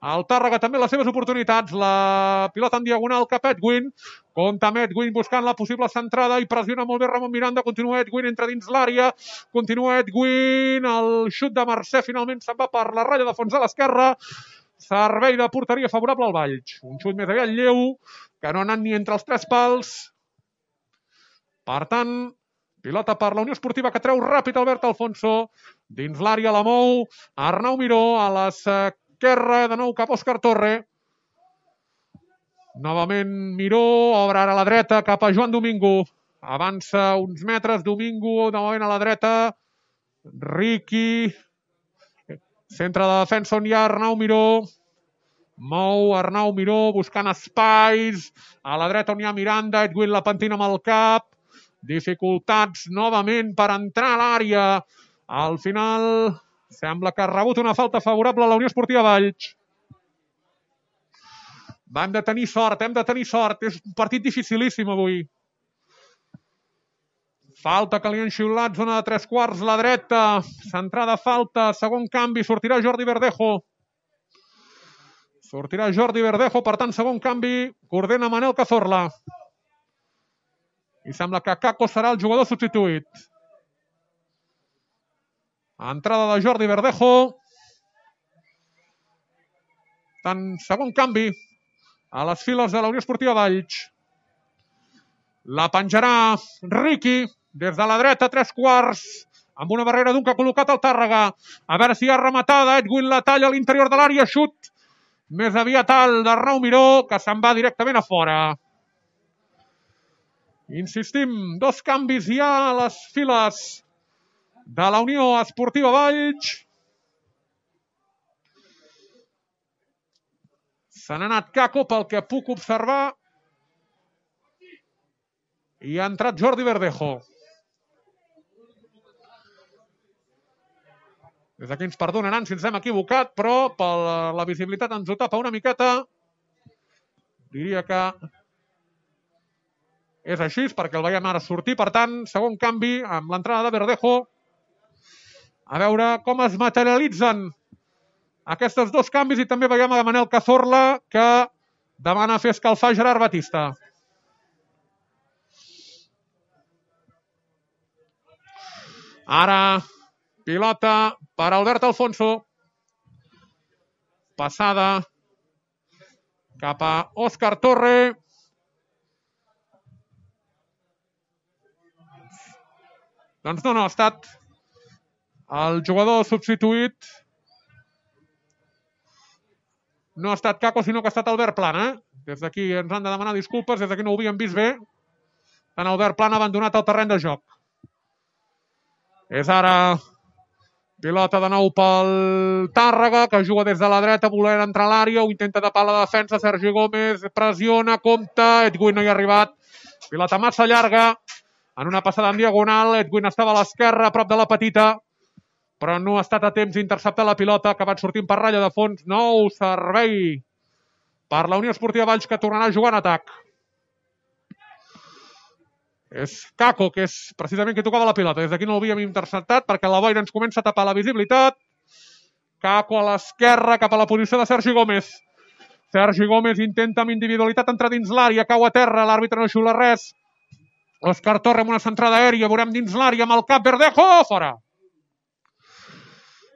el Tàrrega també les seves oportunitats. La pilota en diagonal cap a Edwin. Compta amb Edwin buscant la possible centrada i pressiona molt bé Ramon Miranda. Continua Edwin, entra dins l'àrea. Continua Edwin. El xut de Mercè finalment se'n va per la ratlla de fons a l'esquerra. Servei de porteria favorable al Valls. Un xut més aviat lleu, que no ha anat ni entre els 3 pals. Per tant, pilota per la Unió Esportiva, que treu ràpid Albert Alfonso. Dins l'àrea la mou Arnau Miró, a l'esquerra de nou cap a Òscar Torre. Novament Miró, obre ara a la dreta cap a Joan Domingo. Avança uns metres, Domingo, novament a la dreta. Riqui. Centre de defensa on hi ha Arnau Miró. Mou Arnau Miró buscant espais. A la dreta on hi ha Miranda, Edwin la pentina amb el cap. Dificultats novament per entrar a l'àrea. Al final sembla que ha rebut una falta favorable a la Unió Esportiva Valls. Hem de tenir sort. És un partit dificilíssim avui. Falta que li han xiulat, zona de 3/4, la dreta. Centrada falta, segon canvi, sortirà Jordi Verdejo. Per tant, segon canvi, coordina Manel Cazorla. I sembla que Kako serà el jugador substituït. Entrada de Jordi Verdejo. Tant, segon canvi a les files de la Unió Esportiva Valls. La penjarà Riqui des de la dreta, 3/4, amb una barrera d'un que ha col·locat el Tàrrega. A veure si hi ha rematada. Edwin la talla a l'interior de l'àrea. Xut més aviat alt d'Arnau Miró, que se'n va directament a fora. Insistim, 2 canvis ja a les files de la Unió Esportiva Valls. Se n'ha anat Kako, pel que puc observar, i ha entrat Jordi Verdejo. Des d'aquí ens perdonaran si ens hem equivocat, però per la visibilitat ens ho tapa una miqueta. Diria que és així, perquè el veiem ara sortir. Per tant, segon canvi amb l'entrada de Verdejo. A veure com es materialitzen aquests 2 canvis, i també veiem a Manel Cazorla, que demana fer escalfar Gerard Batista. Ara, pilota per Albert Alfonso. Passada cap a Òscar Torre. Doncs no, ha estat el jugador substituït. No ha estat Kako, sinó que ha estat Albert Plana. Des d'aquí ens han de demanar disculpes, des d'aquí no ho havíem vist bé. Tant Albert Plana ha abandonat el terreny de joc. És ara pilota de nou pel Tàrrega, que juga des de la dreta, volent entrar a l'àrea, ho intenta tapar la defensa, Sergi Gómez pressiona, compta, Edwin no hi ha arribat. Pilota massa llarga, en una passada en diagonal, Edwin estava a l'esquerra, a prop de la petita. però no ha estat a temps d'interceptar la pilota, ha acabat sortint per ratlla de fons. Nou servei per la Unió Esportiva Valls, que tornarà a jugar en atac. És Kako, que és precisament qui tocava la pilota. Des d'aquí no l'havíem interceptat perquè la boira ens comença a tapar la visibilitat. Kako a l'esquerra, cap a la posició de Sergi Gómez. Sergi Gómez intenta amb individualitat entrar dins l'àrea, cau a terra, l'àrbitre no xiula res. Òscar Torre amb una centrada aèria, veurem dins l'àrea amb el cap, Verdejo, fora.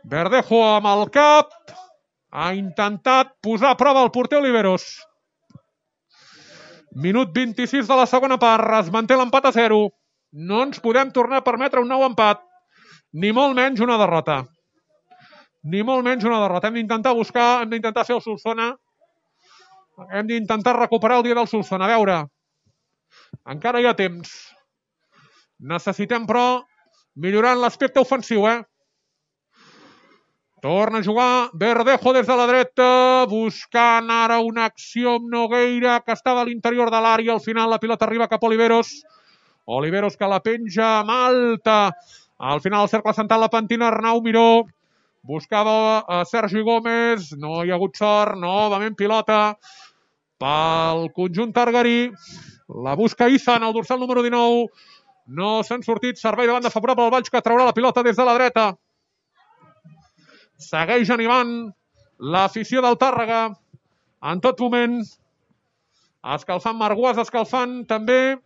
Verdejo amb el cap, ha intentat posar a prova el porter Oliveros. Minut 26 de la segona part, es manté l'empat a 0. No ens podem tornar a permetre un nou empat, ni molt menys una derrota. Ni molt menys una derrota. Hem d'intentar buscar, hem d'intentar fer el Solsona. Hem d'intentar recuperar el dia del Solsona. A veure, encara hi ha temps. Necessitem, però, millorar l'aspecte ofensiu, Torna a jugar Verdejo des de la dreta, buscant ara una acció amb Nogueira, que estava a l'interior de l'àrea. Al final la pilota arriba cap a Oliveros. Oliveros que la penja amb alta. Al final el cercle central la pentina Arnau Miró. Buscava a Sergi Gómez. No hi ha hagut sort. Novament pilota pel conjunt targarí. La busca Issa en el dorsal número 19. No s'han sortit. Servei de banda favorable al Valls, que traurà la pilota des de la dreta. Segueix animant l'afició del Tàrrega en tot moment. Escalfant Marguas, escalfant també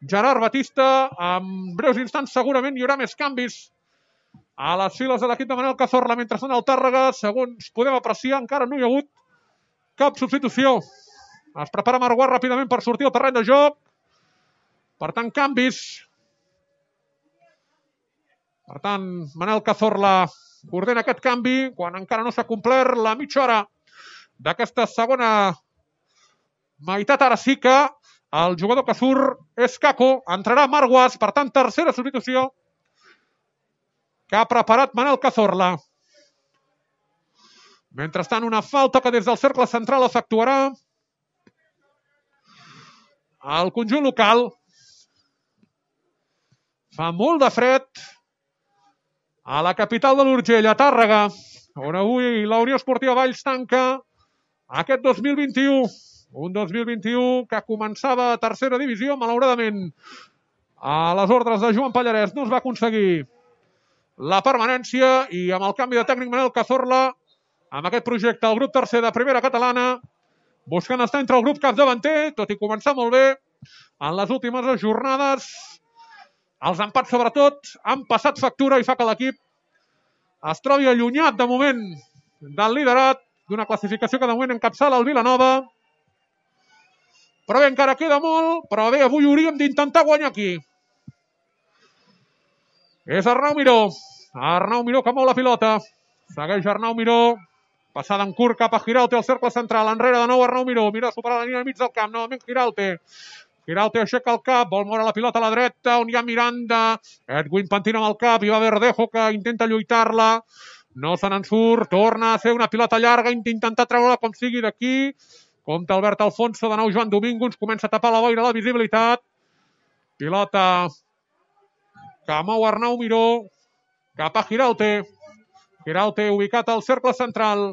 Gerard Batista. En breus instants segurament hi haurà més canvis a les files de l'equip de Manel Cazorla. Mentrestant el Tàrrega, segons podem apreciar, encara no hi ha hagut cap substitució. Es prepara Marguas ràpidament per sortir al terreny de joc. Per tant, canvis. Per tant, Manel Cazorla ordena aquest canvi quan encara no s'ha complert la mitja hora d'aquesta segona meitat. Ara sí que el jugador que surt és Kako. Entrarà Marguas, per tant, tercera substitució que ha preparat Manel Cazorla. Mentrestant, una falta que des del cercle central efectuarà el conjunt local. Fa molt de fred a la capital de l'Urgell, a Tàrrega, on avui la Unió Esportiva Valls tanca aquest 2021. Un 2021 que començava a tercera divisió, malauradament. A les ordres de Joan Pallarès no es va aconseguir la permanència i amb el canvi de tècnic Manel Cazorla, amb aquest projecte, el grup tercer de primera catalana, buscant estar entre el grup capdavanter, tot i començar molt bé en les últimes jornades. Els empats, sobretot, han passat factura i fa que l'equip es trobi allunyat, de moment, del liderat, d'una classificació que de moment encapçala el Vilanova. Però bé, encara queda molt, però bé, avui hauríem d'intentar guanyar aquí. És Arnau Miró. Arnau Miró que mou la pilota. Segueix Arnau Miró. Passada en curt cap a Giralte, al cercle central. Enrere de nou Arnau Miró. Miró a superar la línia al mig del camp. Novament Giralte. Giralte aixeca el cap, vol moure la pilota a la dreta, on hi ha Miranda. Edwin pentina amb el cap, hi va Verdejo que intenta lluitar-la. No se n'en surt, torna a ser una pilota llarga, intentar treure-la com sigui d'aquí. Compte Albert Alfonso, de nou Joan Domingo, ens comença a tapar la boira la visibilitat. Pilota que mou Arnau Miró cap a Giralte. Giralte ubicat al cercle central.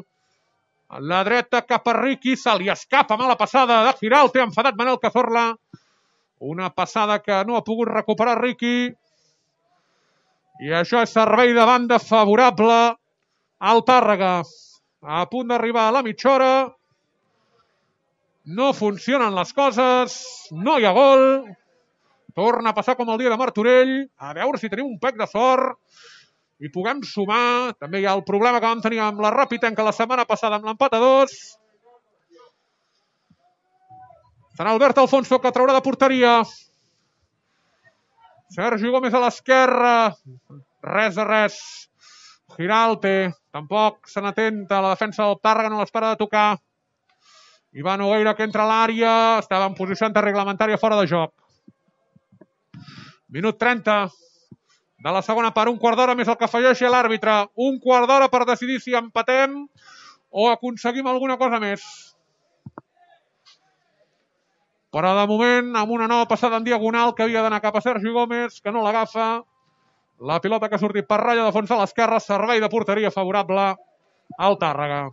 A la dreta cap a Riqui, se li escapa mala passada de Giralte, enfadat Manel Cazorla. Una passada que no ha pogut recuperar Riqui. I això és servei de banda favorable al Tàrrega. A punt d'arribar a la mitja hora. No funcionen les coses. No hi ha gol. Torna a passar com el dia de Martorell. A veure si tenim un pec de sort i puguem sumar. També hi ha el problema que vam tenir amb la Ràpitenca la setmana passada amb l'empat a 2. Serà Albert Alfonso que traurà de porteria. Sergi Gómez a l'esquerra. Res de res. Giralte. Tampoc se n'atenta. La defensa del Tàrrega no l'espera de tocar. Ivan Nogueira que entra a l'àrea. Estava en posició antirreglamentària fora de joc. Minut 30 de la segona part. Un quart d'hora més el que afegeixi l'àrbitre. Un quart d'hora per decidir si empatem o aconseguim alguna cosa més. Però de moment, amb una nova passada en diagonal que havia d'anar cap a Sergi Gómez, que no l'agafa. La pilota que ha sortit per ratlla de fons a l'esquerra, servei de porteria favorable al Tàrrega.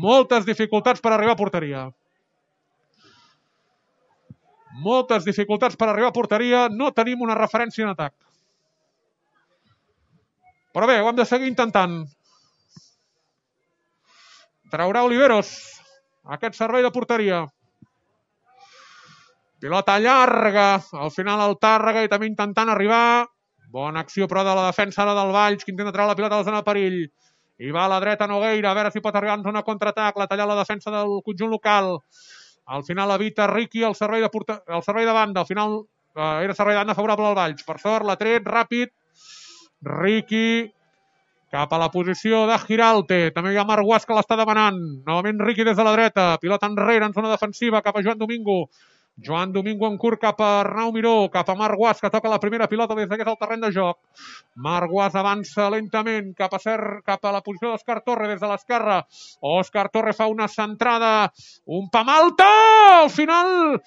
Moltes dificultats per arribar a porteria. Moltes dificultats per arribar a porteria. No tenim una referència en atac. Però bé, ho hem de seguir intentant. Traurà Oliveros aquest servei de porteria. Pilota llarga. Al final el Tàrrega i també intentant arribar. Bona acció, però, de la defensa ara del Valls, que intenta treure la pilota a la zona de perill. I va a la dreta Nogueira, a veure si pot arribar en zona contraatac, la talla la defensa del conjunt local. Al final evita Riqui el servei de banda. Al final era servei de banda favorable al Valls. Per sort, l'ha tret ràpid. Riqui cap a la posició de Giralte. També hi ha Marc Guas que l'està demanant. Novament Riqui des de la dreta. Pilota enrere en zona defensiva cap a Joan Domingo. Joan Domingo en curt cap a Arnau Miró, cap a Marc Guas, que toca la primera pilota des d'aquest al terreny de joc. Marc Guas avança lentament cap a la posició d'Òscar Torre des de l'esquerra. Òscar Torre fa una centrada, un pam alta! Al final,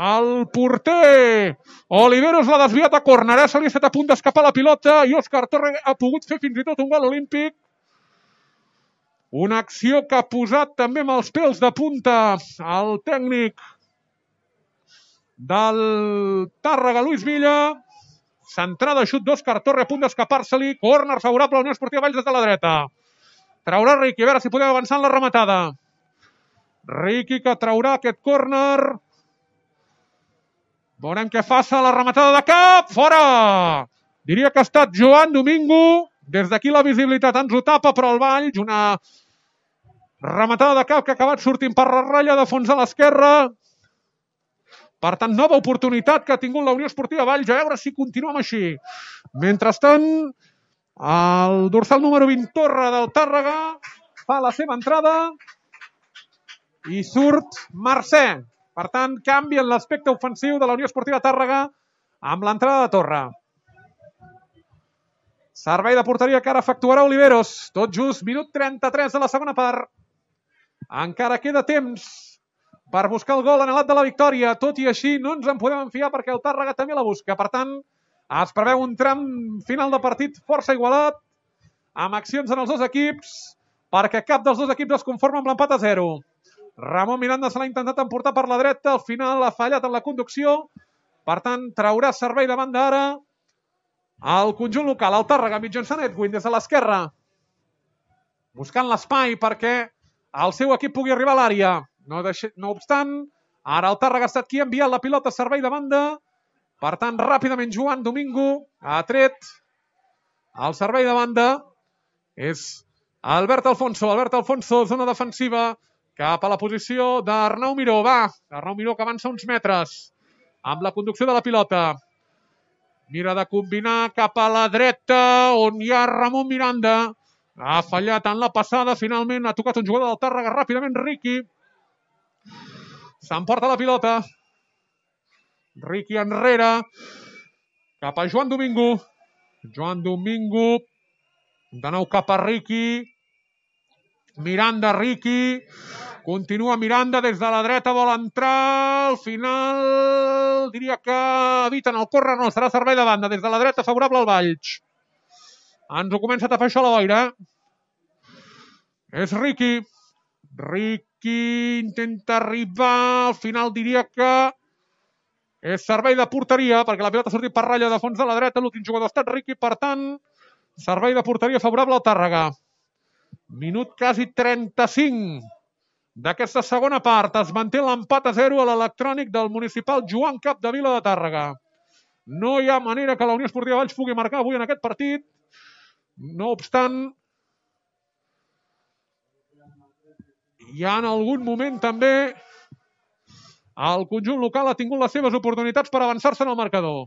el porter Oliveros l'ha desviat a córner. Se li ha estat a punt d'escapar la pilota i Òscar Torre ha pogut fer fins i tot un gol olímpic. Una acció que ha posat també amb els pèls de punta el tècnic del Tàrrega, Luis Villa. Centrada, xut d'Òscar Torre, a punt d'escapar-se-li. Córner favorable a la Unió Esportiva Valls des de la dreta. Traurà Riqui, a veure si podem avançar en la rematada. Riqui que traurà aquest córner. Veurem què fa la rematada de cap. Fora! Diria que ha estat Joan Domingo. Des d'aquí la visibilitat ens ho tapa, però el Valls, una rematada de cap que ha acabat sortint per la ratlla de fons a l'esquerra. Per tant, nova oportunitat que ha tingut la Unió Esportiva Valls. A veure si continuem així. Mentrestant, el dorsal número 20 Torre del Tàrrega fa la seva entrada i surt Mercè. Per tant, canvien l'aspecte ofensiu de la Unió Esportiva Tàrrega amb l'entrada de Torre. Servei de porteria que ara efectuarà Oliveros. Tot just, minut 33 de la segona part. Encara queda temps per buscar el gol anhelat de la victòria. Tot i així, no ens en podem enfiar perquè el Tàrrega també la busca. Per tant, es preveu un tram final de partit força igualat, amb accions en els dos equips, perquè cap dels dos equips es conforma amb l'empat a 0. Ramon Miranda se l'ha intentat emportar per la dreta, al final ha fallat en la conducció. Per tant, traurà servei de banda ara al conjunt local, el Tàrrega, mitjançant Edwin des de l'esquerra, buscant l'espai perquè el seu equip pugui arribar a l'àrea. No obstant, ara el Tàrrega ha estat qui ha enviat la pilota a servei de banda. Per tant, ràpidament Joan Domingo ha tret el servei de banda. És Albert Alfonso. Albert Alfonso, zona defensiva, cap a la posició d'Arnau Miró. Va, Arnau Miró que avança uns metres amb la conducció de la pilota. Mira de combinar cap a la dreta, on hi ha Ramon Miranda. Ha fallat en la passada. Finalment ha tocat un jugador del Tàrrega. Ràpidament Riqui s'emporta la pilota. Riqui enrere. Cap a Joan Domingo. Joan Domingo. De nou cap a Riqui. Miranda, Riqui. Continua Miranda des de la dreta. Vol entrar. Al final diria que eviten el córrer. No, serà servei de banda. Des de la dreta favorable al Valls. Ens ho comença a tapar això a la boira. És Riqui. Riqui intenta arribar. Al final diria que és servei de porteria, perquè la pilota ha sortit per ratlla de fons de la dreta. L'últim jugador ha estat Riqui. Per tant, servei de porteria favorable al Tàrrega. Minut quasi 35 d'aquesta segona part. Es manté l'empat a 0 a l'electrònic del municipal Joan Capdevila de Tàrrega. No hi ha manera que la Unió Esportiva Valls pugui marcar avui en aquest partit. No obstant, hi ha en algun moment també el conjunt local ha tingut les seves oportunitats per avançar-se en el marcador.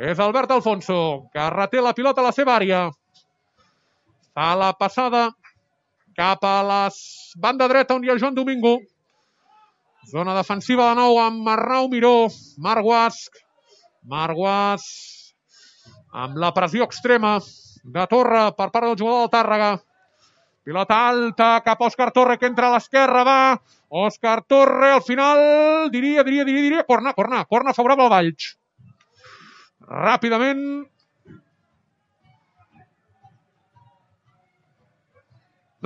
És Albert Alfonso, que reté la pilota a la seva àrea. Fa la passada cap a la banda dreta on hi ha Joan Domingo. Zona defensiva de nou amb Arnau Miró. Marc Guas amb la pressió extrema de Torre per part del jugador del Tàrrega. Pilota alta cap a Òscar Torre, que entra a l'esquerra, va. Òscar Torre, al final, diria, corna favorable al Valls. Ràpidament,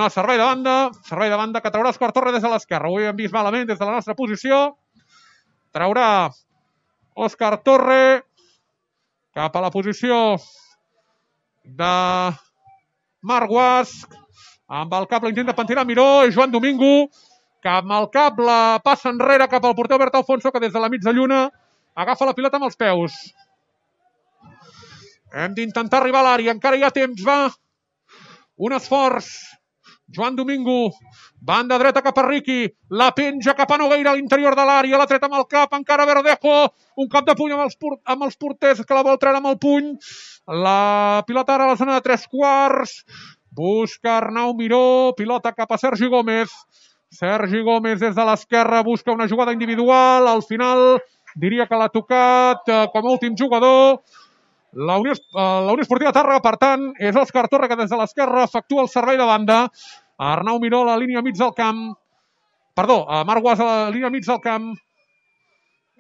No, servei de banda que traurà Òscar Torre des de l'esquerra. Ho hem vist malament des de la nostra posició. Traurà Òscar Torre cap a la posició de Marc Guasc. Amb el cap l'intent de pentinar Miró i Joan Domingo, que amb el cap la passa enrere cap al porter Albert Alfonso, que des de la mitja lluna agafa la pilota amb els peus. Hem d'intentar arribar a l'àrea, encara hi ha temps, va. Un esforç. Joan Domingo, banda dreta cap a Riqui, la penja cap a Nogueira a l'interior de l'àrea, l'ha tret amb el cap, encara Verdejo, un cop de puny amb els porters que la vol treure amb el puny. La pilota ara a la zona de 3/4. Busca Arnau Miró, pilota cap a Sergi Gómez. Sergi Gómez des de l'esquerra busca una jugada individual. Al final diria que l'ha tocat com a últim jugador la Unió Esportiva Tàrrega. Per tant, és Òscar Torre que des de l'esquerra efectua el servei de banda. Arnau Miró a la línia mig del camp. Perdó, Marc Guas a la línia mig del camp.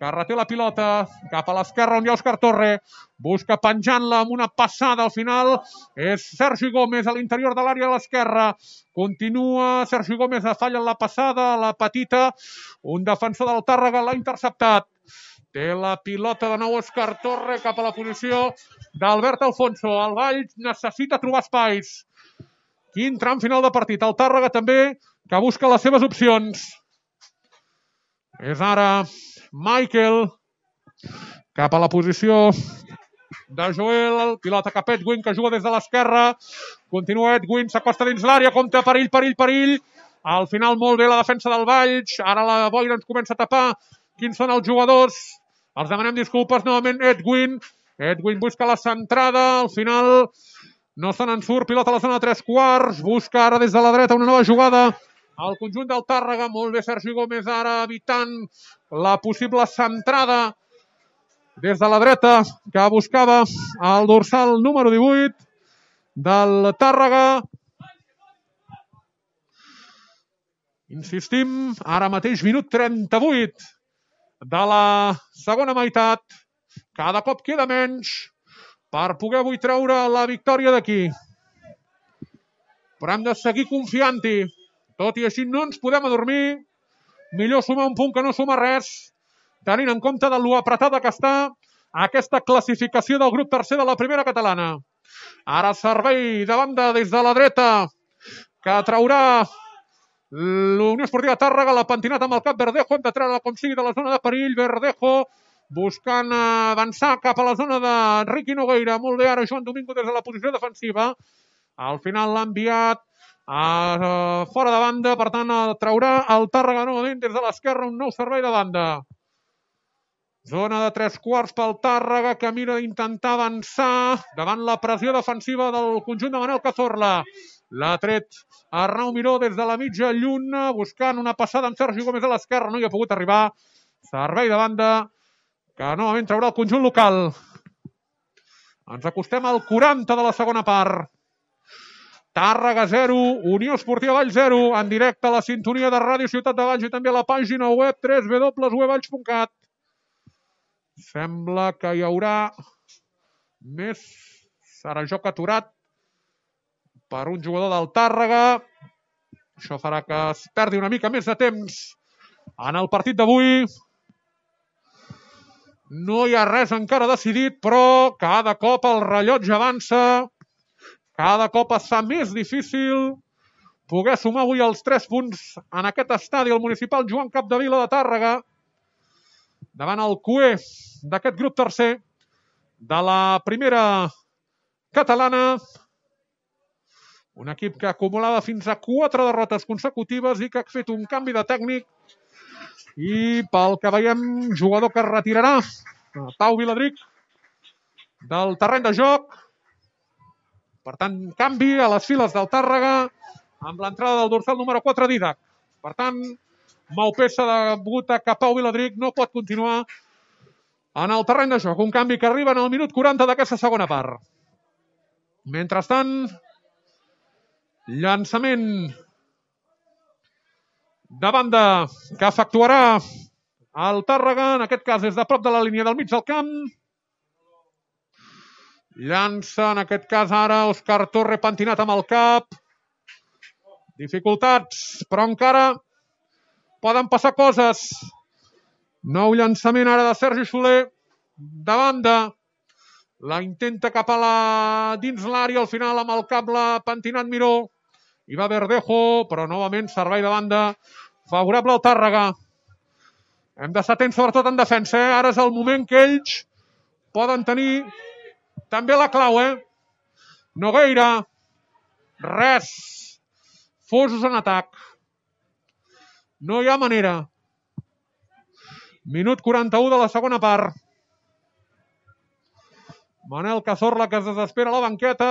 Que reté la pilota cap a l'esquerra on hi ha Òscar Torre. Busca penjant-la amb una passada al final. És Sergi Gómez a l'interior de l'àrea de l'esquerra. Continua Sergi Gómez, falla en la passada, la petita. Un defensor del Tàrrega l'ha interceptat. Té la pilota de nou Òscar Torre cap a la posició d'Albert Alfonso. El Valls necessita trobar espais. Quin tram final de partit. El Tàrrega també que busca les seves opcions. És ara Michael cap a la posició de Joel, pilota cap a Edwin que juga des de l'esquerra, continua Edwin, s'acosta dins l'àrea, compta perill, al final molt bé la defensa del Valls, ara la boira ens comença a tapar quins són els jugadors, els demanem disculpes novament. Edwin busca la centrada, al final no se n'en surt, pilota a la zona de 3/4, busca ara des de la dreta una nova jugada al conjunt del Tàrrega, molt bé Sergi Gómez ara evitant la possible centrada des de la dreta que buscava el dorsal número 18 del Tàrrega. Insistim, ara mateix minut 38 de la segona meitat. Cada cop queda menys per poder avui treure la victòria d'aquí. Però hem de seguir confiant-hi. Tot i així no ens podem adormir. Millor sumar un punt que no sumar res, tenint en compte de lo apretada que està aquesta classificació del grup tercer de la primera catalana. Ara servei de banda des de la dreta que traurà l'Unió Esportiva Tàrrega, la pentinat amb el cap Verdejo, hem de treure com sigui de la zona de perill. Verdejo buscant avançar cap a la zona de Riqui Nogueira. Molt bé ara Joan Domingo des de la posició defensiva. Al final l'ha enviat fora de banda, per tant traurà el Tàrrega novament des de l'esquerra un nou servei de banda. Zona de 3/4 pel Tàrrega que mira d'intentar avançar davant la pressió defensiva del conjunt de Manel Cazorla. L'ha tret Arnau Miró des de la mitja lluna buscant una passada amb Sergi Gómez a l'esquerra, no hi ha pogut arribar. Servei de banda que novament traurà el conjunt local. Ens acostem al 40 de la segona part. Tàrrega 0, Unió Esportiva Valls 0, en directe a la sintonia de Ràdio Ciutat de Valls i també a la pàgina web www.valls.cat. Sembla que hi haurà més. Serà joc aturat per un jugador del Tàrrega. Això farà que es perdi una mica més de temps en el partit d'avui. No hi ha res encara decidit, però cada cop el rellotge avança. Cada cop es fa més difícil poder sumar avui els 3 punts en aquest estadi al municipal Joan Capdevila de Tàrrega davant el cué d'aquest grup tercer de la primera catalana. Un equip que acumulava fins a 4 derrotes consecutives i que ha fet un canvi de tècnic i pel que veiem jugador que es retirarà, Pau Viladric, del terreny de joc. Per tant, canvi a les files del Tàrrega amb l'entrada del dorsal número 4 Didac. Per tant, Maupessa degut a que Pau Viladric no pot continuar en el terreny de joc. Un canvi que arriba en el minut 40 d'aquesta segona part. Mentrestant, llançament de banda que efectuarà el Tàrrega, en aquest cas des de prop de la línia del mig del camp. Llança, en aquest cas ara, Òscar Torre pentinat amb el cap. Dificultats, però encara poden passar coses. Nou llançament ara de Sergi Soler, de banda. La intenta cap a dins l'àrea, al final amb el cap l'ha pentinat Miró. Hi va Verdejo, però novament servei de banda favorable al Tàrrega. Hem d'estar atents sobretot en defensa. Ara és el moment que ells poden tenir també la clau. Nogueira, res. Fosos en atac. No hi ha manera. Minut 41 de la segona part. Manel Cazorla, que es desespera a la banqueta.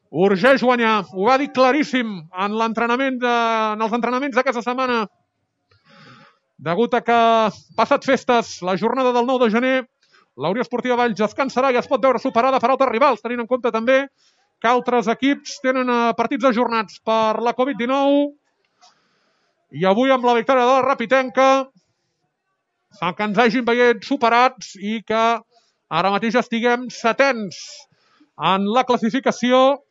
Urgeix guanyar. Ho va dir claríssim en els entrenaments d'aquesta setmana. Degut a que passat festes, la jornada del 9 de gener, la Unió Esportiva Valls descansarà i es pot veure superada per altres rivals, tenint en compte també que altres equips tenen partits ajornats per la Covid-19. I avui, amb la victòria de la Rapitenca, fa que ens hagin veient superats i que ara mateix estiguem setens en la classificació,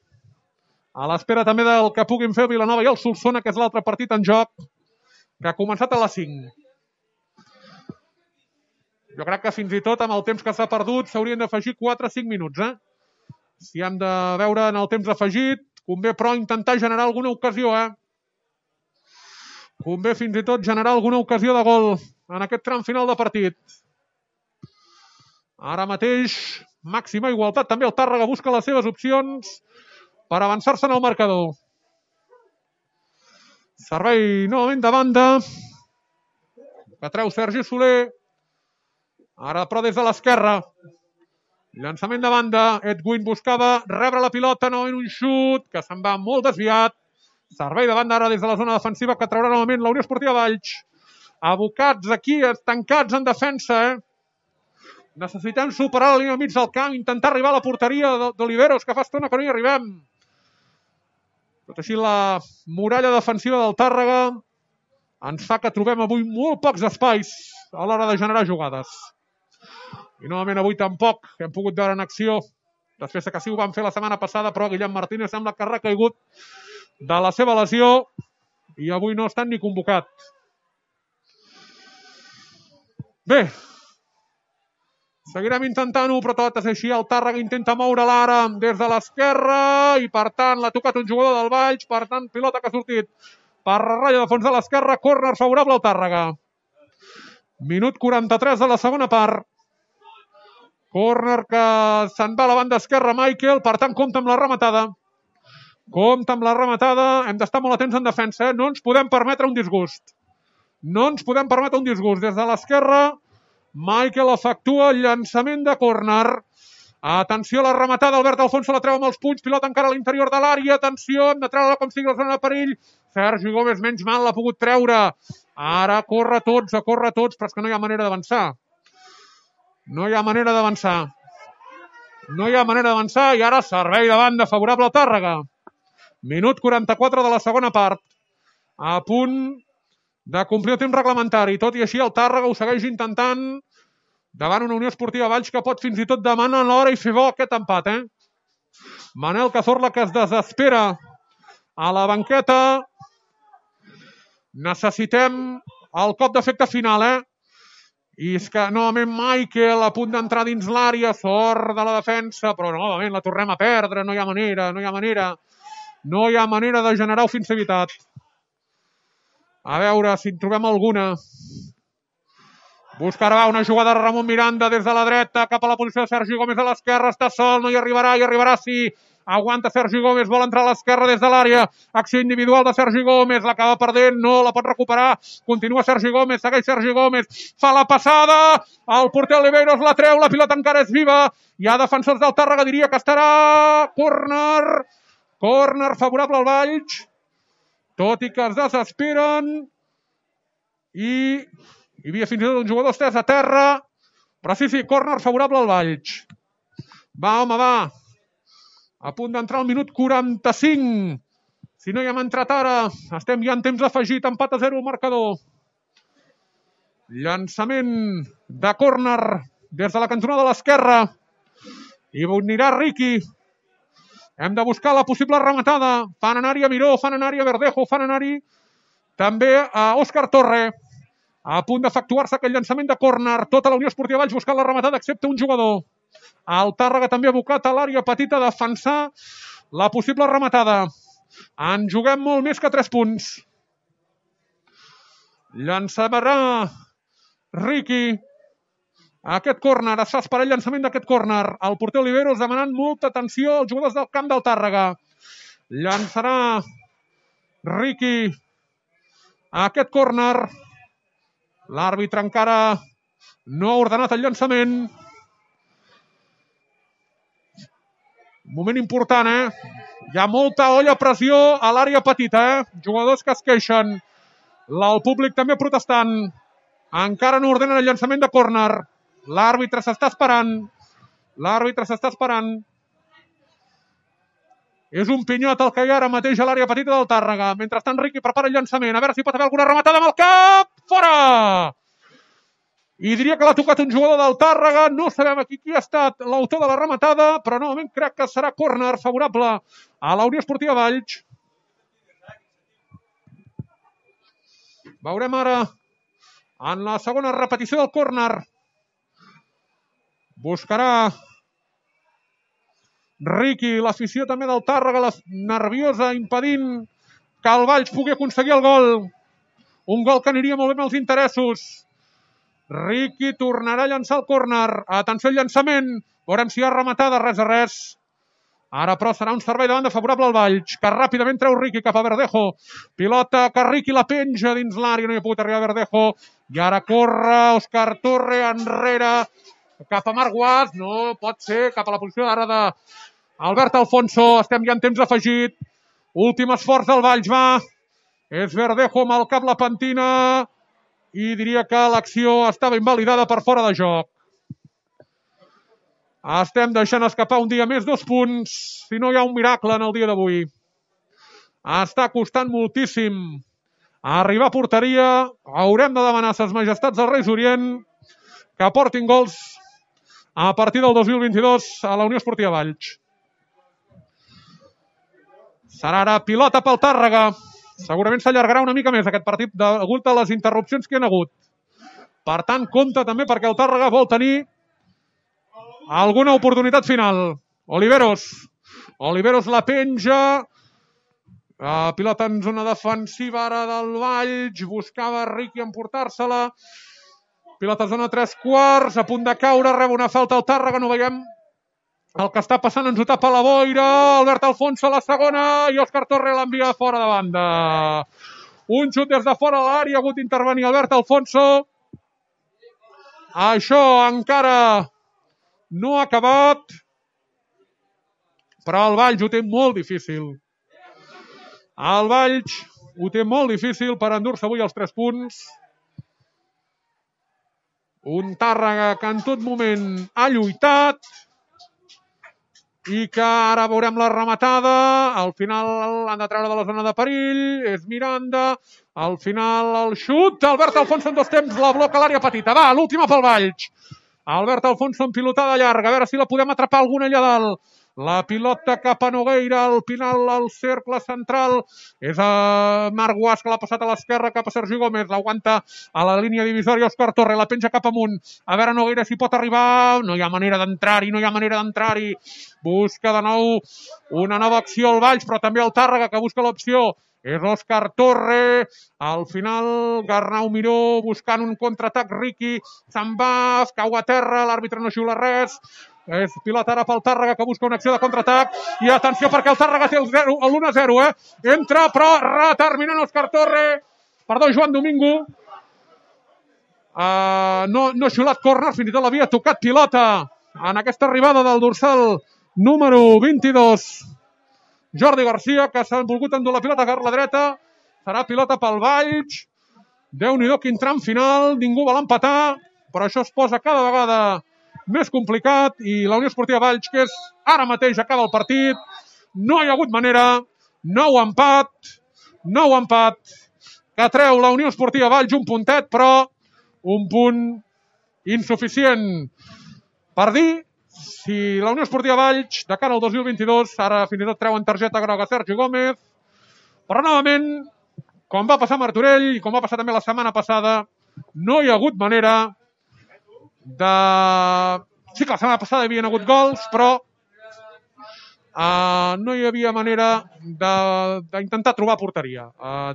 a l'espera també del que puguin fer Vilanova i el Solsona, que és l'altre partit en joc, que ha començat a les 5. Jo crec que fins i tot amb el temps que s'ha perdut s'haurien d'afegir 4-5 minuts. Si hem de veure en el temps afegit, convé però intentar generar alguna ocasió. Convé fins i tot generar alguna ocasió de gol en aquest tram final de partit. Ara mateix, màxima igualtat. També el Tàrrega busca les seves opcions per avançar-se en el marcador. Servei novament de banda, que treu Sergi Soler. Ara però des de l'esquerra. Llançament de banda. Edwin buscava rebre la pilota, novament un xut que se'n va molt desviat. Servei de banda ara des de la zona defensiva que traurà novament la Unió Esportiva Valls. Abocats aquí, estancats en defensa. Necessitem superar la línia mig del camp, intentar arribar a la porteria d'Oliveros, que fa estona que no hi arribem. Tot així, la muralla defensiva del Tàrrega ens fa que trobem avui molt pocs espais a l'hora de generar jugades. I novament avui tampoc hem pogut veure en acció, després que sí ho vam fer la setmana passada, però Guillem Martínez sembla que ha recaigut de la seva lesió i avui no estan ni convocat. Bé, seguirem intentant-ho, però tot és així. El Tàrrega intenta moure l'ara des de l'esquerra i, per tant, l'ha tocat un jugador del Valls. Per tant, pilota que ha sortit per ratlla de fons de l'esquerra. Córner favorable al Tàrrega. Minut 43 de la segona part. Córner que se'n va a la banda esquerra Michael. Per tant, compta amb la rematada. Compta amb la rematada. Hem d'estar molt atents en defensa. No ens podem permetre un disgust. No ens podem permetre un disgust. Des de l'esquerra, Michael efectua el llançament de córner. Atenció a la rematada, Albert Alfonso la treu amb els punys, pilota encara a l'interior de l'àrea, atenció, hem de treure com sigui la zona de perill. Sergi Gómez, menys mal, l'ha pogut treure. Ara a córrer tots, però és que no hi ha manera d'avançar. No hi ha manera d'avançar. No hi ha manera d'avançar i ara servei de banda favorable al Tàrrega. Minut 44 de la segona part. A punt de complir el temps reglamentari. Tot i així el Tàrrega ho segueix intentant davant una Unió Esportiva Valls que pot fins i tot demanar l'hora i fer bo aquest empat. Manel Cazorla, que es desespera a la banqueta. Necessitem el cop d'efecte final. I és que novament Michael a punt d'entrar dins l'àrea, sort de la defensa, però novament la tornem a perdre. No hi ha manera, no hi ha manera. No hi ha manera de generar ofensivitat. A veure si en trobem alguna. Buscarà una jugada de Ramon Miranda des de la dreta cap a la posició de Sergi Gómez a l'esquerra. Està sol, no hi arribarà, sí. Aguanta Sergi Gómez, vol entrar a l'esquerra des de l'àrea. Acció individual de Sergi Gómez, l'acaba perdent, no la pot recuperar. Continua Sergi Gómez, segueix Sergi Gómez. Fa la passada, el porter Oliveros la treu, la pilota encara és viva. Hi ha defensors del Tàrrega, diria que estarà córner. Córner favorable al Valls. Tot i que es desesperen. I hi havia fins i tot un jugador estès a terra. Però sí, córner favorable al Valls. Va, home, va. A punt d'entrar al minut 45. Si no hi hem entrat ara, estem ja en temps afegit, empat a 0 al marcador. Llançament de córner des de la cantonada de l'esquerra. I anirà Riqui. Hem de buscar la possible rematada. Fan anar-hi a Miró, fan anar-hi a Verdejo, fan anar-hi també a Òscar Torre. A punt d'efectuar-se aquest llançament de córner. Tota la Unió Esportiva Valls buscant la rematada, excepte un jugador. El Tàrrega també abocat a l'àrea petita a defensar la possible rematada. En juguem molt més que 3 punts. Llançarà Riqui. Aquest córner, està esperant el llançament d'aquest córner. El porter Oliveros demanant molta atenció als jugadors del camp del Tàrrega. Llançarà Riqui aquest córner. L'àrbitre encara no ha ordenat el llançament. Moment important, Hi ha molta olla a pressió a l'àrea petita, Jugadors que es queixen. El públic també protestant. Encara no ordenen el llançament de córner. L'àrbitre s'està esperant. És un pinyot el que hi ha ara mateix a l'àrea petita del Tàrrega. Mentrestant, Riqui prepara el llançament. A veure si pot haver alguna rematada amb el cap. Fora! I diria que l'ha tocat un jugador del Tàrrega. No sabem aquí qui ha estat l'autor de la rematada, però novament crec que serà córner favorable a la Unió Esportiva Valls. Veurem ara en la segona repetició del córner. Buscarà Riqui, l'afició també del Tàrrega, nerviosa, impedint que el Valls pugui aconseguir el gol. Un gol que aniria molt bé amb els interessos. Riqui tornarà a llançar el córner. Atenció al llançament. Veurem si hi ha rematada, res de res. Ara, però, serà un servei de banda favorable al Valls, que ràpidament treu Riqui cap a Verdejo. Pilota que Riqui la penja dins l'àrea, no hi ha pogut arribar a Verdejo. I ara corre Òscar Torre enrere cap a Marc Guas. No pot ser, cap a la posició ara d'Albert Alfonso. Estem ja en temps afegit. Últim esforç del Valls, va. És Verdejo amb el cap la pentina. I diria que l'acció estava invalidada per fora de joc. Estem deixant escapar un dia més 2 punts, si no hi ha un miracle en el dia d'avui. Està costant moltíssim arribar a porteria. Haurem de demanar a ses majestats dels Reis Orient que portin gols a partir del 2022 a la Unió Esportiva Valls. Serà ara pilota pel Tàrrega. Segurament s'allargarà una mica més aquest partit degut a les interrupcions que hi ha hagut. Per tant, compte també perquè el Tàrrega vol tenir alguna oportunitat final. Oliveros la penja. Pilota en zona defensiva ara del Valls. Buscava Riqui emportar-se-la. Pilota en zona 3/4. A punt de caure. Rep una falta al Tàrrega. No veiem el que està passant. Ens ho tapa la boira. Albert Alfonso a la segona. I Òscar Torre l'envia fora de banda. Un xut des de fora de l'àrea. Ha hagut d'intervenir Albert Alfonso. Això encara no ha acabat. Però el Valls ho té molt difícil. El Valls ho té molt difícil per endur-se avui els 3 punts. Un Tàrrega que en tot moment ha lluitat i que ara veurem la rematada. Al final han de treure de la zona de perill. És Miranda. Al final el xut. Albert Alfonso en 2 temps la bloca a l'àrea petita. Va, l'última pel Valls. Albert Alfonso en pilotada llarga. A veure si la podem atrapar alguna allà dalt. La pilota cap a Nogueira, al final al cercle central. És a Marc Guas, que l'ha passat a l'esquerra cap a Sergi Gómez. L'aguanta a la línia divisòria Òscar Torre, la penja cap amunt. A veure Nogueira si pot arribar. No hi ha manera d'entrar-hi, Busca de nou una nova acció al Valls, però també el Tàrrega, que busca l'opció. És Òscar Torre. Al final Garnau Miró buscant un contraatac. Riqui se'n va, es cau a terra, l'àrbitre no xiula res. És pilota ara pel Tàrrega, que busca una acció de contraatac. I atenció perquè el Tàrrega té l'1-0, Entra, però reterminant Òscar Torre. Perdó, Joan Domingo. No ha xiulat córner, fins i tot l'havia tocat pilota en aquesta arribada del dorsal número 22. Jordi Garcia, que s'ha volgut endur la pilota per la dreta. Serà pilota pel Valls. Déu-n'hi-do quin tram final. Ningú vol empatar, però això es posa cada vegada més complicat. I la Unió Esportiva Valls, que és ara mateix acaba el partit. No hi ha hagut manera. Nou empat. Que treu la Unió Esportiva Valls un puntet, però un punt insuficient per dir si la Unió Esportiva Valls, de cara al 2022, ara fins i tot treuen targeta groga Sergi Gómez, però novament, com va passar a Martorell i com va passar també la setmana passada, no hi ha hagut manera de... Sí que la setmana passada hi havia hagut gols, però no hi havia manera d'intentar trobar porteria.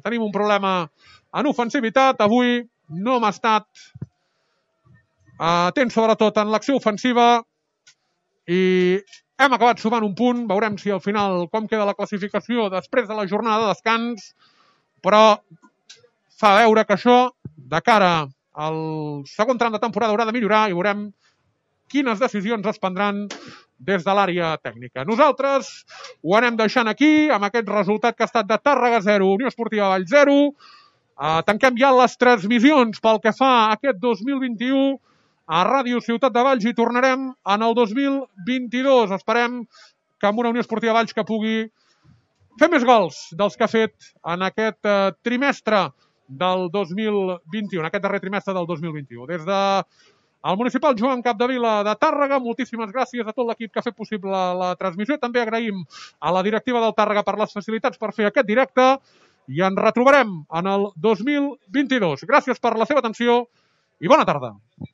Tenim un problema en ofensivitat. Avui no hem estat atents sobretot en l'acció ofensiva i hem acabat sumant un punt. Veurem si al final com queda la classificació després de la jornada de descans, però fa veure que això de cara al segon tram de temporada haurà de millorar i veurem quines decisions es prendran des de l'àrea tècnica. Nosaltres ho anem deixant aquí, amb aquest resultat que ha estat de Tàrrega 0, Unió Esportiva Valls 0. Tanquem ja les transmissions pel que fa a aquest 2021 a Ràdio Ciutat de Valls i tornarem en el 2022. Esperem que amb una Unió Esportiva Valls que pugui fer més gols dels que ha fet en aquest trimestre del 2021, aquest darrer trimestre del 2021. Des de el municipal Joan Capdevila de Tàrrega, moltíssimes gràcies a tot l'equip que ha fet possible la transmissió. També agraïm a la directiva del Tàrrega per les facilitats per fer aquest directe i ens retrobarem en el 2022. Gràcies per la seva atenció i bona tarda.